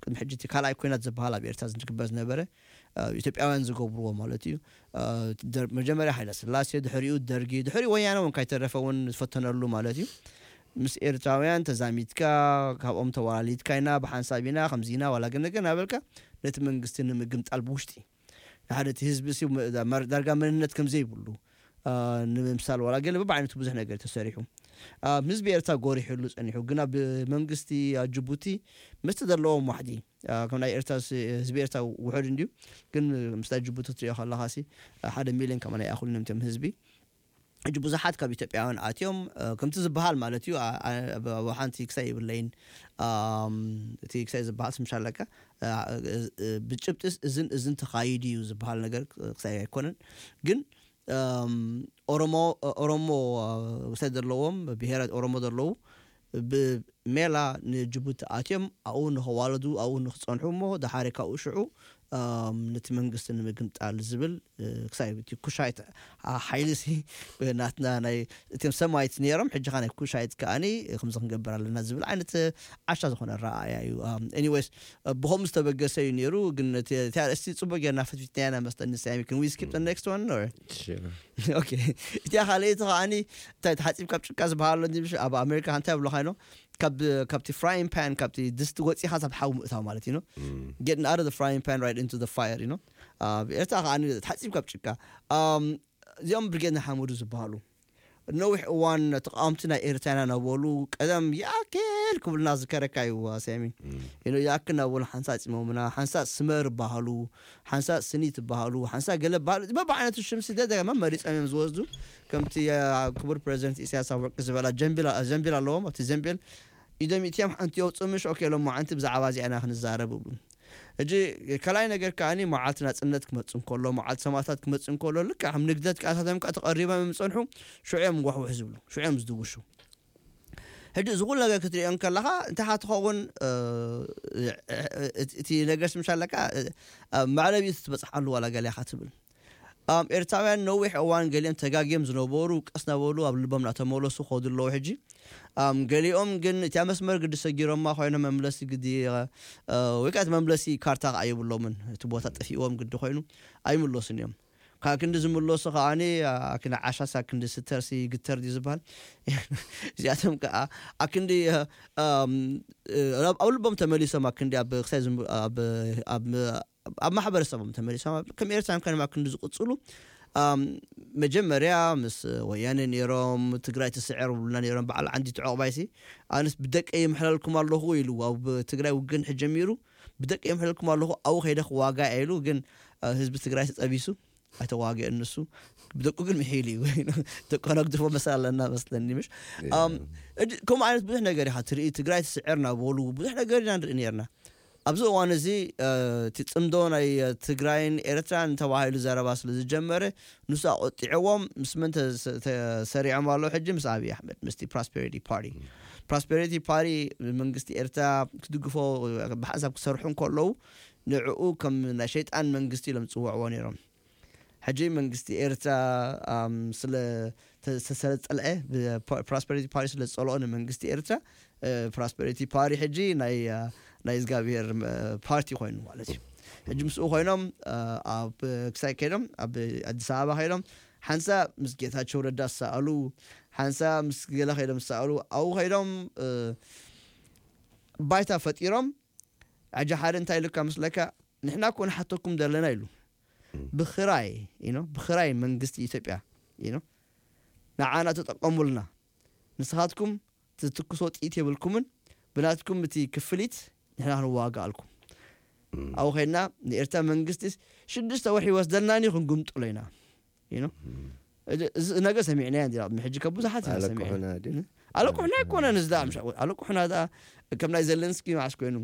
ቅድሚ ሕጂ እቲ ካልኣይ ኮይናት ዝበሃል ኣብ ኤርትራ ዝግበር ዝነበረ ኢትዮጵያውያን ዝገብርዎ ማለት እዩ። መጀመርያ ሃይለ ስላሴ፣ ድሕሪኡ ደርጊ፣ ድሕሪኡ ወያነ እውን ካይተረፈ እውን ዝፈተነሉ ማለት እዩ። ምስ ኤርትራውያን ተዛሚድካ፣ ካብኦም ተዋላሊድካ ኢና፣ ብሓንሳብ ኢና፣ ከምዚ ኢና ዋላ ግን ነገር እናበልካ ነቲ መንግስቲ ንምግምጣል ብውሽጢ ንሓደ እቲ ህዝቢ ሲ ዳርጋ መንነት ከም ዘይብሉ ንምምሳል ዋላ ገለ በብዓይነቱ ብዙሕ ነገር ተሰሪሑ። ኣብ ህዝቢ ኤርትራ ጎሪሕሉ ጸኒሑ፣ ግን ኣብ መንግስቲ ኣብ ጅቡቲ ምስቲ ዘለዎም ዋሕዲ ከም ናይ ኤርትራ ህዝቢ ኤርትራ ውሑድ እንድዩ፣ ግን ምስ ናይ ጅቡቲ ትሪኦ ከለኻ ሲ ሓደ ሚልዮን ከማን ኣይኣኽሉን እዮም እቶም ህዝቢ። ሕጂ ብዙሓት ካብ ኢትዮጵያውያን ኣትዮም ከምቲ ዝበሃል ማለት እዩ። ኣብ ሓንቲ ክሳይ የብለይን፣ እቲ ክሳይ ዝበሃል ስምሻ ኣለካ ብጭብጢስ እዝን እዝን ተኻይዱ እዩ ዝበሃል ነገር ክሳይ ኣይኮነን። ግን ኦሮሞ ኦሮሞ ክሳይ ዘለዎም ብሄራት ኦሮሞ ዘለዉ ብሜላ ንጅቡቲ ኣትዮም ኣብኡ ንኸዋለዱ ኣብኡ ንክፀንሑ እሞ ድሓሪ ካብኡ ሽዑ ነቲ መንግስቲ ንምግምጣል ዝብል ክሳይ እቲ ኩሻይት ሓይሊ ሲ ናትና ናይ እቶም ሰማይት ነይሮም ሕጂ ኻ ናይ ኩሻይት ከኣኒ ከምዚ ክንገብር ኣለና ዝብል ዓይነት ዓሻ ዝኾነ ረኣያ እዩ። ኤኒዌይስ ብኸምኡ ዝተበገሰ እዩ ነይሩ። ግን እቲ ኣርእስቲ ፅቡቅ ጌርና ፈትፊትና ኢና መስለኒ። ሳሚ፣ can we skip the next one or? ኦኬ፣ እቲኣ ካልኣይቲ ከኣኒ እንታይ ተሓፂብ ካብ ጭቃ ዝበሃል ኣሎ እንጂ ኣብ ኣሜሪካ እንታይ ብሎ ካይኖ ካብ ካብቲ frying pan ካብቲ ድስቲ ወፂኻ ሳብ ሓዊ ምእታው ማለት እዩ። Getting out of the frying pan right into the fire, you know? ኣብ ኤርትራ ከዓ ተሓፂብ ካብ ጭቃ። እዚኦም ብርጌድ ንሓመዱ ዝበሃሉ ነዊሕ እዋን ተቃወምቲ ናይ ኤርትራና ነበሉ። ቀደም ያክል ክብልና ዝከረካ እዩ። ሰሚ ይኣክል ነበሉ ሓንሳእ ፂሞምና ሓንሳእ ስመር ይበሃሉ፣ ሓንሳእ ስኒ ትበሃሉ፣ ሓንሳእ ገለ በሃሉ በብዓይነቱ ሽም ስደ ደገመ መሪፆም እዮም ዝወስዱ። ከምቲ ክቡር ፕሬዚደንት ኢሳያስ ኣፈወርቂ ዝበላ ጀንቢል ኣለዎም። ኣብቲ ጀንቢል ኢዶም ኢትዮም ሓንቲ የውፅኡ ምሽ ኦኬ ሎም ዓንቲ ብዛዕባ እዚኣና ክንዛረብ ብሉ። እጂ ካልኣይ ነገር ከዓኒ መዓልቲ ናፅነት ክመፅእ እንከሎ መዓልቲ ሰማእታት ክመፅእ እንከሎ ልክዕ ከም ንግደት ከኣታቶም ከዓ ተቐሪቦም እዮም ዝፀንሑ። ሽዑ እዮም ዋሕውሕ ዝብሉ ሽዑ እዮም ዝድውሹ። ሕጂ እዚ ኩሉ ነገር ክትሪኦ እንከለኻ እንታይ ትኸውን? እቲ ነገር ስምሻ ኣለካ መዕለቢ ትበፅሓሉ ዋላ ገሊኻ ትብል። ኣም ኤርትራውያን ነዊሕ እዋን ገሊኦም ተጋግዮም ዝነበሩ ቀስ ናበሉ ኣብ ልቦም እናተመለሱ ከዱ ኣለዉ። ሕጂ ኣም ገሊኦም ግን እቲያ መስመር ግዲ ሰጊሮማ ኮይኖም መምለሲ ግዲ ወይ ከዓ እቲ መምለሲ ካርታ ከዓ የብሎምን። እቲ ቦታ ጠፊእዎም ግዲ ኮይኑ ኣይምለሱን እዮም። ካብ ክንዲ ዝምለሱ ከዓኒ ኣክንዲ ዓሻስ ኣክንዲ ስተርሲ ግተር ድዩ ዝበሃል? እዚኣቶም ከዓ ኣክንዲ ኣብ ልቦም ተመሊሶም ኣክንዲ ኣብ ክሳይ ኣብ ማሕበረሰቦም ተመሊሶም ከም ኤርትራን ከነማ ክንዲ ዝቅፅሉ መጀመርያ ምስ ወያነ ነይሮም ትግራይ ትስዕር ብሉና ነይሮም በዓል ዓንዲ ተዕቕባይሲ ኣነስ ብደቀ ይምሕለልኩም ኣለኹ ኢሉ ኣብ ትግራይ ውግን ሕጀሚሩ ብደቀ ይምሕለልኩም ኣለኹ ኣው ከይደ ክዋጋ ኢሉ ግን ህዝቢ ትግራይ ተጠቢሱ ኣይተዋግአን ንሱ ብደቁ ግን ምሒሉ እዩ ደቁ ነግድፎ መሰል ኣለና መስለኒ ምሽ ከምኡ ዓይነት ብዙሕ ነገር ኢኻ ትርኢ ትግራይ ትስዕር ናበሉ ብዙሕ ነገር ኢና ንርኢ ነርና ኣብዚ እዋን እዚ እቲ ፅምዶ ናይ ትግራይን ኤርትራን ተባሂሉ ዘረባ ስለ ዝጀመረ ንሱ ኣቆጢዕዎም ምስ መን ተሰሪዖም ኣለዉ ሕጂ ምስ ኣብይ ኣሕመድ ምስቲ ፕሮስፐሪቲ ፓርቲ ፕሮስፐሪቲ ፓርቲ መንግስቲ ኤርትራ ክድግፎ ብሓንሳብ ክሰርሑ እንከለዉ ንዕኡ ከም ናይ ሸይጣን መንግስቲ ኢሎም ዝፅውዕዎ ነይሮም ሕጂ መንግስቲ ኤርትራ ስለ ስለፀልዐ ፕሮስፐሪቲ ፓርቲ ስለ ዝፀልኦ ንመንግስቲ ኤርትራ ፕሮስፐሪቲ ፓርቲ ሕጂ ናይ ናይ እግዚኣብሔር ፓርቲ ኮይኑ ማለት እዩ ሕጂ ምስኡ ኮይኖም ኣብ ክሳይ ከይዶም ኣብ ኣዲስ ኣበባ ከይዶም ሓንሳ ምስ ጌታቸው ረዳ ዝሰኣሉ ሓንሳ ምስ ገለ ከይዶም ዝሰኣሉ ኣብኡ ከይዶም ባይታ ፈጢሮም ሕጂ ሓደ እንታይ ኢሉካ ምስለካ ንሕና እኮ ንሓተኩም ዘለና ኢሉ ብክራይ ብክራይ መንግስቲ ኢትዮጵያ ንዓና ተጠቀሙልና ንስኻትኩም ትትኩሶ ጥኢት የብልኩምን ብናትኩም እቲ ክፍሊት ንሕና ክንዋጋኣልኩም ኣብኡ ከይድና ንኤርትራ መንግስቲ ሽዱሽተ ወርሒ ይወስደልናኒ ክንጉምጥሎ ኢና you know እዚ ነገር ሰሚዕናዮ እንዲና ቅድሚ ሕጂ ካብ ብዙሓት ኢና ሰሚዕና ኣለቁሑና ኣይኮነን እዚ ደኣ ምሽ ኣለቁሑና ደኣ ከም ናይ ዘለንስኪ መዓስ ኮይኑ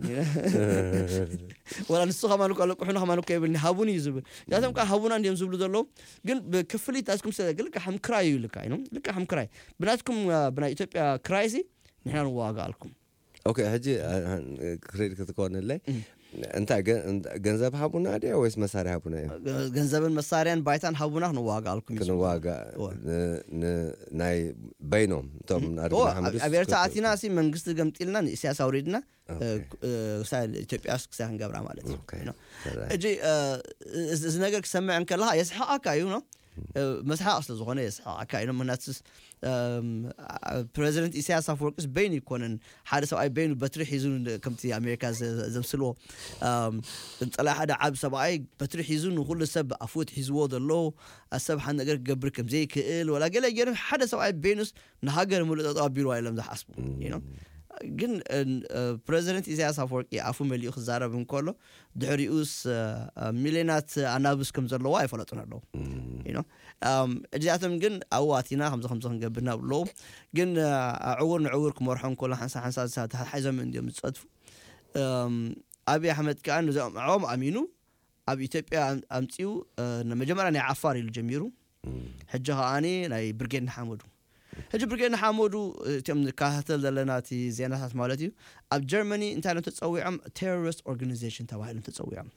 ወላ ንሱ ከማን እኮ ኣለቁሑና ከማን እኮ የብልኒ ሃቡኒ እዩ ዝብል ያቶም ከዓ ሃቡና እንዲዮም ዝብሉ ዘለዉ ግን ብክፍሊት ኣስኩም ስለ ልካ ከም ክራይ እዩ ልካ ኢኖም ልካ ከም ክራይ ብናትኩም ብናይ ኢትዮጵያ ክራይ ሲ ንሕና ንዋጋ ኣልኩም ኦኬ ሕጂ ክሬዲት ክትኮንለይ እንታይ ገንዘብ ሃቡና ድያ ወይስ መሳርያ ሃቡና እዮም ገንዘብን መሳርያን ባይታን ሃቡና ክንዋጋኣልኩም እዩ ክንዋጋ ናይ በይኖም እቶም ኣብ ኤርትራ ኣቲና ሲ መንግስቲ ገምጢልና ንእስያስ ኣውሪድና ኢትዮጵያ ክሳይ ክንገብራ ማለት እዩ ሕጂ እዚ ነገር ክሰምዕ እንከለካ የስሕቃካ እዩ ነው መስሓቅ ስለ ዝኾነ የስሕቃካ እዩ ምክንያቱ ፕሬዚደንት ኢሳያስ ኣፈወርቂስ በይኑ ይኮነን ሓደ ሰብኣይ በይኑ በትሪ ሒዙ ከምቲ ኣሜሪካ ዘምስልዎ እንፀላይ ሓደ ዓብ ሰብኣይ በትሪ ሒዙ ንኩሉ ሰብ ኣፍወት ሒዝዎ ዘሎ ሰብ ሓደ ነገር ክገብር ከምዘይክእል ወላ ገለ ገይሩ ሓደ ሰብኣይ በይኑስ ንሃገር ሙሉእ ጠጠው ኣቢልዋ ኢሎም ዝሓስቡ ግን ፕሬዚደንት ኢሳያስ ኣፈወርቂ ኣፉ መሊኡ ክዛረብ እንከሎ ድሕሪኡስ ሚልዮናት ኣናብስ ከም ዘለዋ ኣይፈለጡን ኣለዉ እዚኣቶም ግን ኣብኡ ኣቲና ከምዚ ከምዚ ክንገብር ናብ ኣለዉ ግን ዕውር ንዕውር ክመርሖ እንከሎ ሓንሳ ሓንሳ ተሓሒዞም እንዲዮም ዝፀድፉ ኣብይ ኣሕመድ ከዓ ነዚኦም ዕኦም ኣሚኑ ኣብ ኢትዮጵያ ኣምፅኡ መጀመርያ ናይ ዓፋር ኢሉ ጀሚሩ ሕጂ ከዓኒ ናይ ብርጌድ ንሓመዱ ሕጂ ብርጌድ ንሓመዱ እቲኦም ንከታተል ዘለና እቲ ዜናታት ማለት እዩ ኣብ ጀርመኒ እንታይ ኢሎም ተፀዊዖም ቴሮሪስት ኦርጋኒዜሽን ተባሂሎም ተፀዊዖም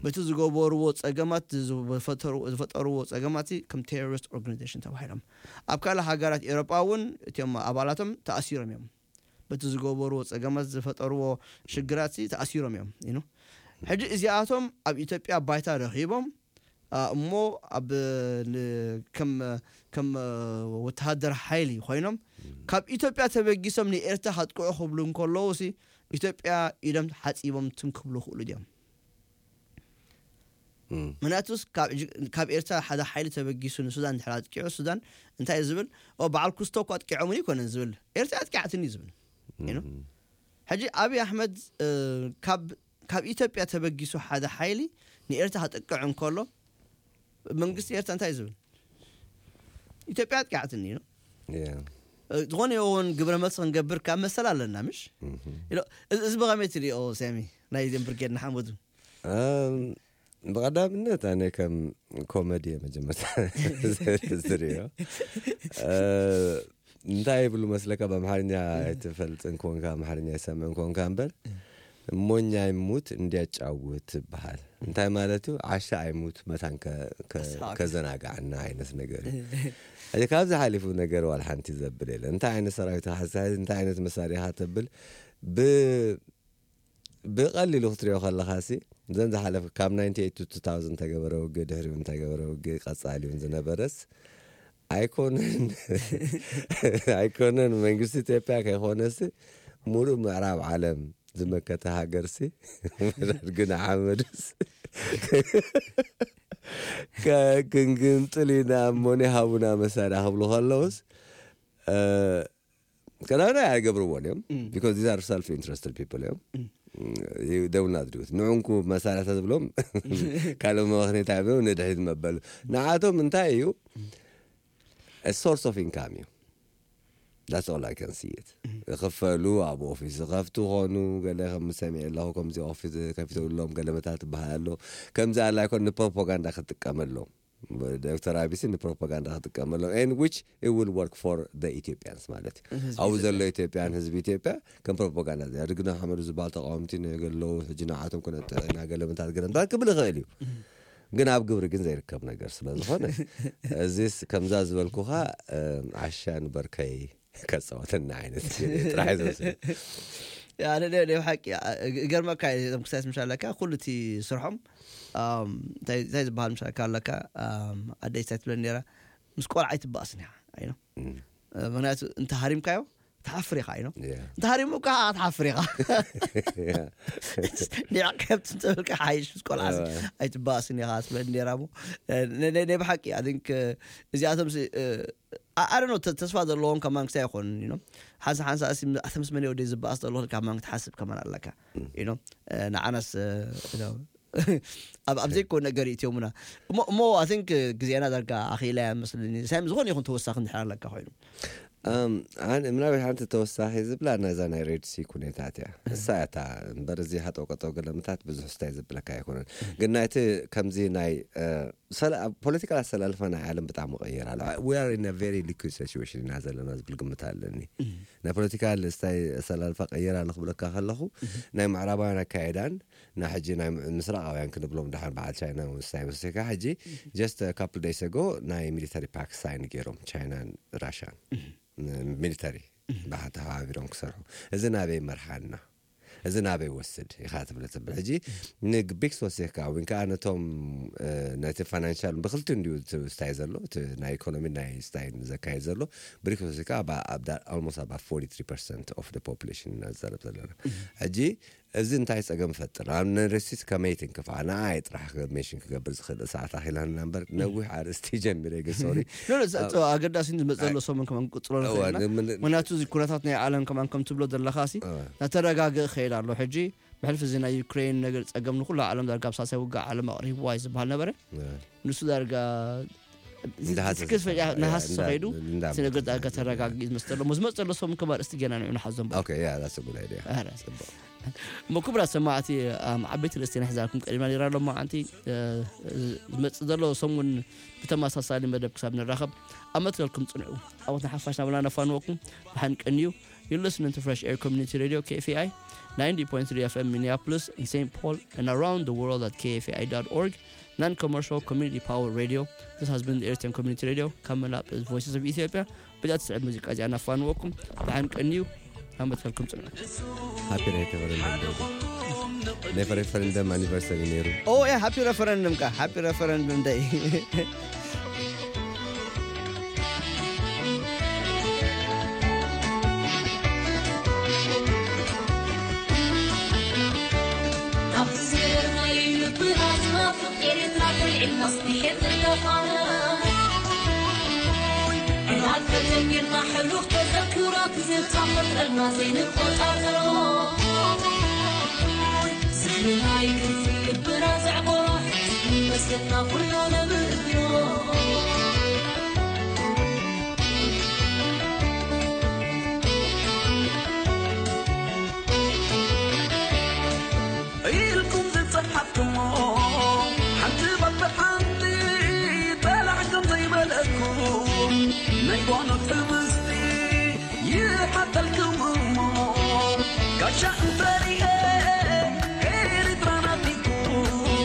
በቲ ዝገበርዎ ፀገማት ዝፈጠርዎ ፀገማት ከም ቴሮሪስት ኦርጋኒዜሽን ተባሂሎም ኣብ ካልእ ሃገራት ኤሮጳ እውን እቲኦም ኣባላቶም ተኣሲሮም እዮም በቲ ዝገበርዎ ፀገማት ዝፈጠርዎ ሽግራት ተኣሲሮም እዮም ኢኑ ሕጂ እዚኣቶም ኣብ ኢትዮጵያ ባይታ ረኺቦም እሞ ኣብ ከም ከም ወተሃደር ሓይሊ ኮይኖም ካብ ኢትዮጵያ ተበጊሶም ንኤርትራ ከጥቅዑ ክብሉ እንከለዉ ሲ ኢትዮጵያ ኢዶም ሓፂቦም ትም ክብሉ ክእሉ ድዮም? ምክንያቱስ ካብ ኤርትራ ሓደ ሓይሊ ተበጊሱ ንሱዳን ድሕር ኣጥቂዑ ሱዳን እንታይ ዝብል በዓል ኩስቶ እኮ ኣጥቂዖምኒ ይኮነን ዝብል ኤርትራ ኣጥቂዓትኒ ዝብል ሕጂ ኣብይ ኣሕመድ ካብ ኢትዮጵያ ተበጊሱ ሓደ ሓይሊ ንኤርትራ ክጥቅዕ እንከሎ መንግስቲ ኤርትራ እንታይ ዝብል ኢትዮጵያ ኣጥቂዓትኒ ነው ዝኾነ ይኸውን ግብረ መልሲ ክንገብር ካብ መሰል ኣለና ምሽ እዚ ብኸመይ ትሪኦ ሳሚ ናይ ዜን ብርጌድ ንሓመዱ ብቐዳምነት ኣነ ከም ኮመዲ መጀመርታ ዝሪኦ እንታይ ይብሉ መስለካ ብኣምሓርኛ ኣይትፈልጥን ኮንካ ኣምሓርኛ ይሰምዕን ኮንካ እምበር ሞኛ ይሙት እንዲያጫውት ትበሃል እንታይ ማለት እዩ ዓሻ ኣይሙት መታን ከዘናጋዕና ዓይነት ነገር እዩ እዚ ካብዚ ሓሊፉ ነገር ዋል ሓንቲ ዘብል የለ እንታይ ዓይነት ሰራዊት ሓሳይ እንታይ ዓይነት መሳሪያ ተብል ብቐሊሉ ክትሪኦ ከለኻ ሲ ዘን ዝሓለፈ ካብ ናይንቲ ኤይት ቱ ቱ ታውዘንድ ተገበረ ውግእ ድሕሪኡ እንታይ ገበረ ውግእ ቀጻሊ እውን ዝነበረስ ኣይኮነን ኣይኮነን መንግስቲ ኢትዮጵያ ከይኮነሲ ሙሉእ ምዕራብ ዓለም ዝመከተ ሃገርሲ ግን ሓመድስ ክንግንጥል ኢና እሞኒ ሃቡና መሳርያ ክብሉ ከለውስ ቀዳማይ ኣይገብርዎን እዮም because these are self interested people እዮም they will not do it ንዑንኩ መሳርያ ተዝብሎም ካልእ መባኽኔታ እዮም ንድሕሪት መበሉ ንዓቶም እንታይ እዩ source of income እዩ that's all I can see it ክፈሉ ኣብ ኦፊስ ዝኸፍቱ ኾኑ ገለ ከም ሰሚዕ ኣለኹ ከምዚ ኦፊስ ከፊተሎም ገለ መታት ትበሃል ኣሎ ከምዚ ኣላ ይኮን ንፕሮፓጋንዳ ክትጥቀመሎም ዶክተር ኣቢሲ ንፕሮፓጋንዳ ክጥቀመሎም and which it will work for the Ethiopians ማለት እዩ ኣብኡ ዘሎ ኢትዮጵያን ህዝቢ ኢትዮጵያ ከም ፕሮፓጋንዳ ዝያድግና ሓመዱ ዝበሃል ተቃወምቲ ነገለው ሕጂ ንዓቶም ክነጥዕና ገለምታት ገለምታት ክብል ይኽእል እዩ ግን ኣብ ግብሪ ግን ዘይርከብ ነገር ስለ ዝኾነ እዚስ ከምዛ ዝበልኩኻ ዓሻ ንበርከይ ከፃወተና ዓይነት ጥራሕ ዝወስድ ኣነ ናይ ብሓቂ ገርመካ እዞም ክሳይስ ምሻ ኣለካ ኩሉ እቲ ስርሖም እንታይ ዝበሃል ምሻ ኣለካ ኣደይ እንታይ ትብለኒ ነራ ምስ ቆልዓ ኣይትበኣስን ኢኻ ኣይኖ ምክንያቱ እንተ ሃሪምካዮ ትሓፍር ኢኻ ኢኖ እንተ ሃሪሙ ከዓ ትሓፍር ኢኻ ዲዕ ከብቲ እንተበልካ ሓይሽ ምስ ቆልዓ ኣይትበኣስን ኢኻ ትብለኒ ነራ ሞ ናይ ብሓቂ ኣንክ እዚኣቶም ኣረኖ ተስፋ ዘለዎም ከማን ክሳይ ይኮኑ ኢኖ ሓንሳ ሓንሳ ኣተ ምስ መን ወደይ ዝበኣስ ዘሎ ካብ ማን ክትሓስብ ከማን ኣለካ ኢኖ ንዓናስ ኣብ ዘይኮ ነገር ይእትዮሙና እሞ I think ግዜና ዳርጋ ኣኺላ እያ መስለኒ ሳይም ዝኾነ ይኹን ተወሳኺ እንድሕር ኣለካ ኮይኑ ኣነ ምናልባት ሓንቲ ተወሳኺ ዝብላ ነዛ ናይ ሬድ ሲ ኩነታት እያ እሳ እታ እምበር እዚ ሃጠው ቀጠው ገለምታት ብዙሕ ስታይ ዝብለካ ኣይኮነን ግን ናይቲ ከምዚ ናይ ፖለቲካል ኣሰላልፋ ናይ ዓለም ብጣዕሚ ቀይር ኣሎ we are in a very liquid situation ኢና ዘለና ዝብል ግምት ኣለኒ ናይ ፖለቲካል ስታይ ኣሰላልፋ ቀይር ኣሎ ክብለካ ከለኹ ናይ ምዕራባውያን ኣካየዳን ናይ ሕጂ ናይ ምስራቃውያን ክንብሎም ድሓን በዓል ቻይና ስታይ መስካ ሕጂ just couple days ago ናይ ሚሊተሪ ፓክት ሳይን ገይሮም ቻይናን ራሽያን ሚሊተሪ ብሓተሓባቢሮም ክሰርሑ እዚ ናበይ መርሓና እዚ ናበይ ወስድ ኢኻ ትብል ትብል ሕጂ ንብሪክስ ወሲኽካ ወይ ከዓ ነቶም ነቲ ፋይናንሻል ብክልቲ እንዲዩ ስታይ ዘሎ ናይ ኢኮኖሚ ናይ ስታይ ዘካየድ ዘሎ ብሪክስ ወሲኽካ ኣልሞስት ኣባ ፎርቲ ፐርሰንት ኦፍ ፖፑሌሽን ኢና ዝዛረብ ዘለና ሕጂ እዚ እንታይ ጸገም ይፈጥር ኣብ ነርሲስ ከመይ ትንክፋ ንኣይ ጥራሕ ሜሽን ክገብር ዝኽእል ሰዓት ኣኺላና እምበር ነዊሕ ኣርእስቲ ጀሚረ ግን ሶሪ ኣገዳሲ ዝመጽእ ዘሎ ሰሙን ከማን ቅጽሎ ንኽእልና ምክንያቱ እዚ ኩነታት ናይ ዓለም ከማን ከም ትብሎ ዘለኻ ሲ ናተረጋግእ ክእል ኣሎ ሕጂ ብሕልፊ እዚ ናይ ዩክሬን ነገር ጸገም ንኩሉ ዓለም ዳርጋ ኣብ ሳልሳይ ውግእ ዓለም ኣቕሪብዋ እዩ ዝበሃል ነበረ ንሱ ዳርጋ ትክክል ፈያ ነሃስ ሰኸይዱ እቲ ነገር ዳርጋ ተረጋጊ ዝመስ ዘሎ ዝመፅ ዘሎ ሰሙን ከም ኣርእስቲ ገና ንዑ ንሓዞም Okay, yeah, that's a good idea. እሞ ክቡራት ሰማዕቲ ዓበይቲ ርእስቲ ንሕዛልኩም ቀዲምና ነራ ኣሎ መዓንቲ ዝመፅእ ዘሎ ሰሙን ብተመሳሳሊ መደብ ክሳብ ንራኸብ ኣብ መትከልኩም ፅንዑ ኣቦትና ሓፋሽ ናብላ ነፋንወኩም ብሓን ቀንዩ You're listening to Fresh Air Community Radio, K F A I, ninety point three F M Minneapolis and Saint Paul and around the world at K F A I dot org. Non-commercial community power radio. This has been the Eritrean Community Radio, coming up is Voices of Ethiopia. ብዛ ትስዕብ ሙዚቃ እዚኣ ናፋንወኩም ብሓን ቀንዩ ኣብ መትከልኩም ፅንዑ Happy Night everyone. ናይ ሬፈረንደም ኣኒቨርሰሪ ነይሩ። ኦ ያ ሃፒ ሬፈረንደም ካ ሃፒ ሬፈረንደም ደይ። ኢልኩም ዝጸሓፍኩሞ ሓንቲ ባት ሓንቲ ጠላዕ ከም ዘይበለኩም ናይ ጓኖት ትምስቲ ይሓተልኩም እሞ ጋሻ እንተ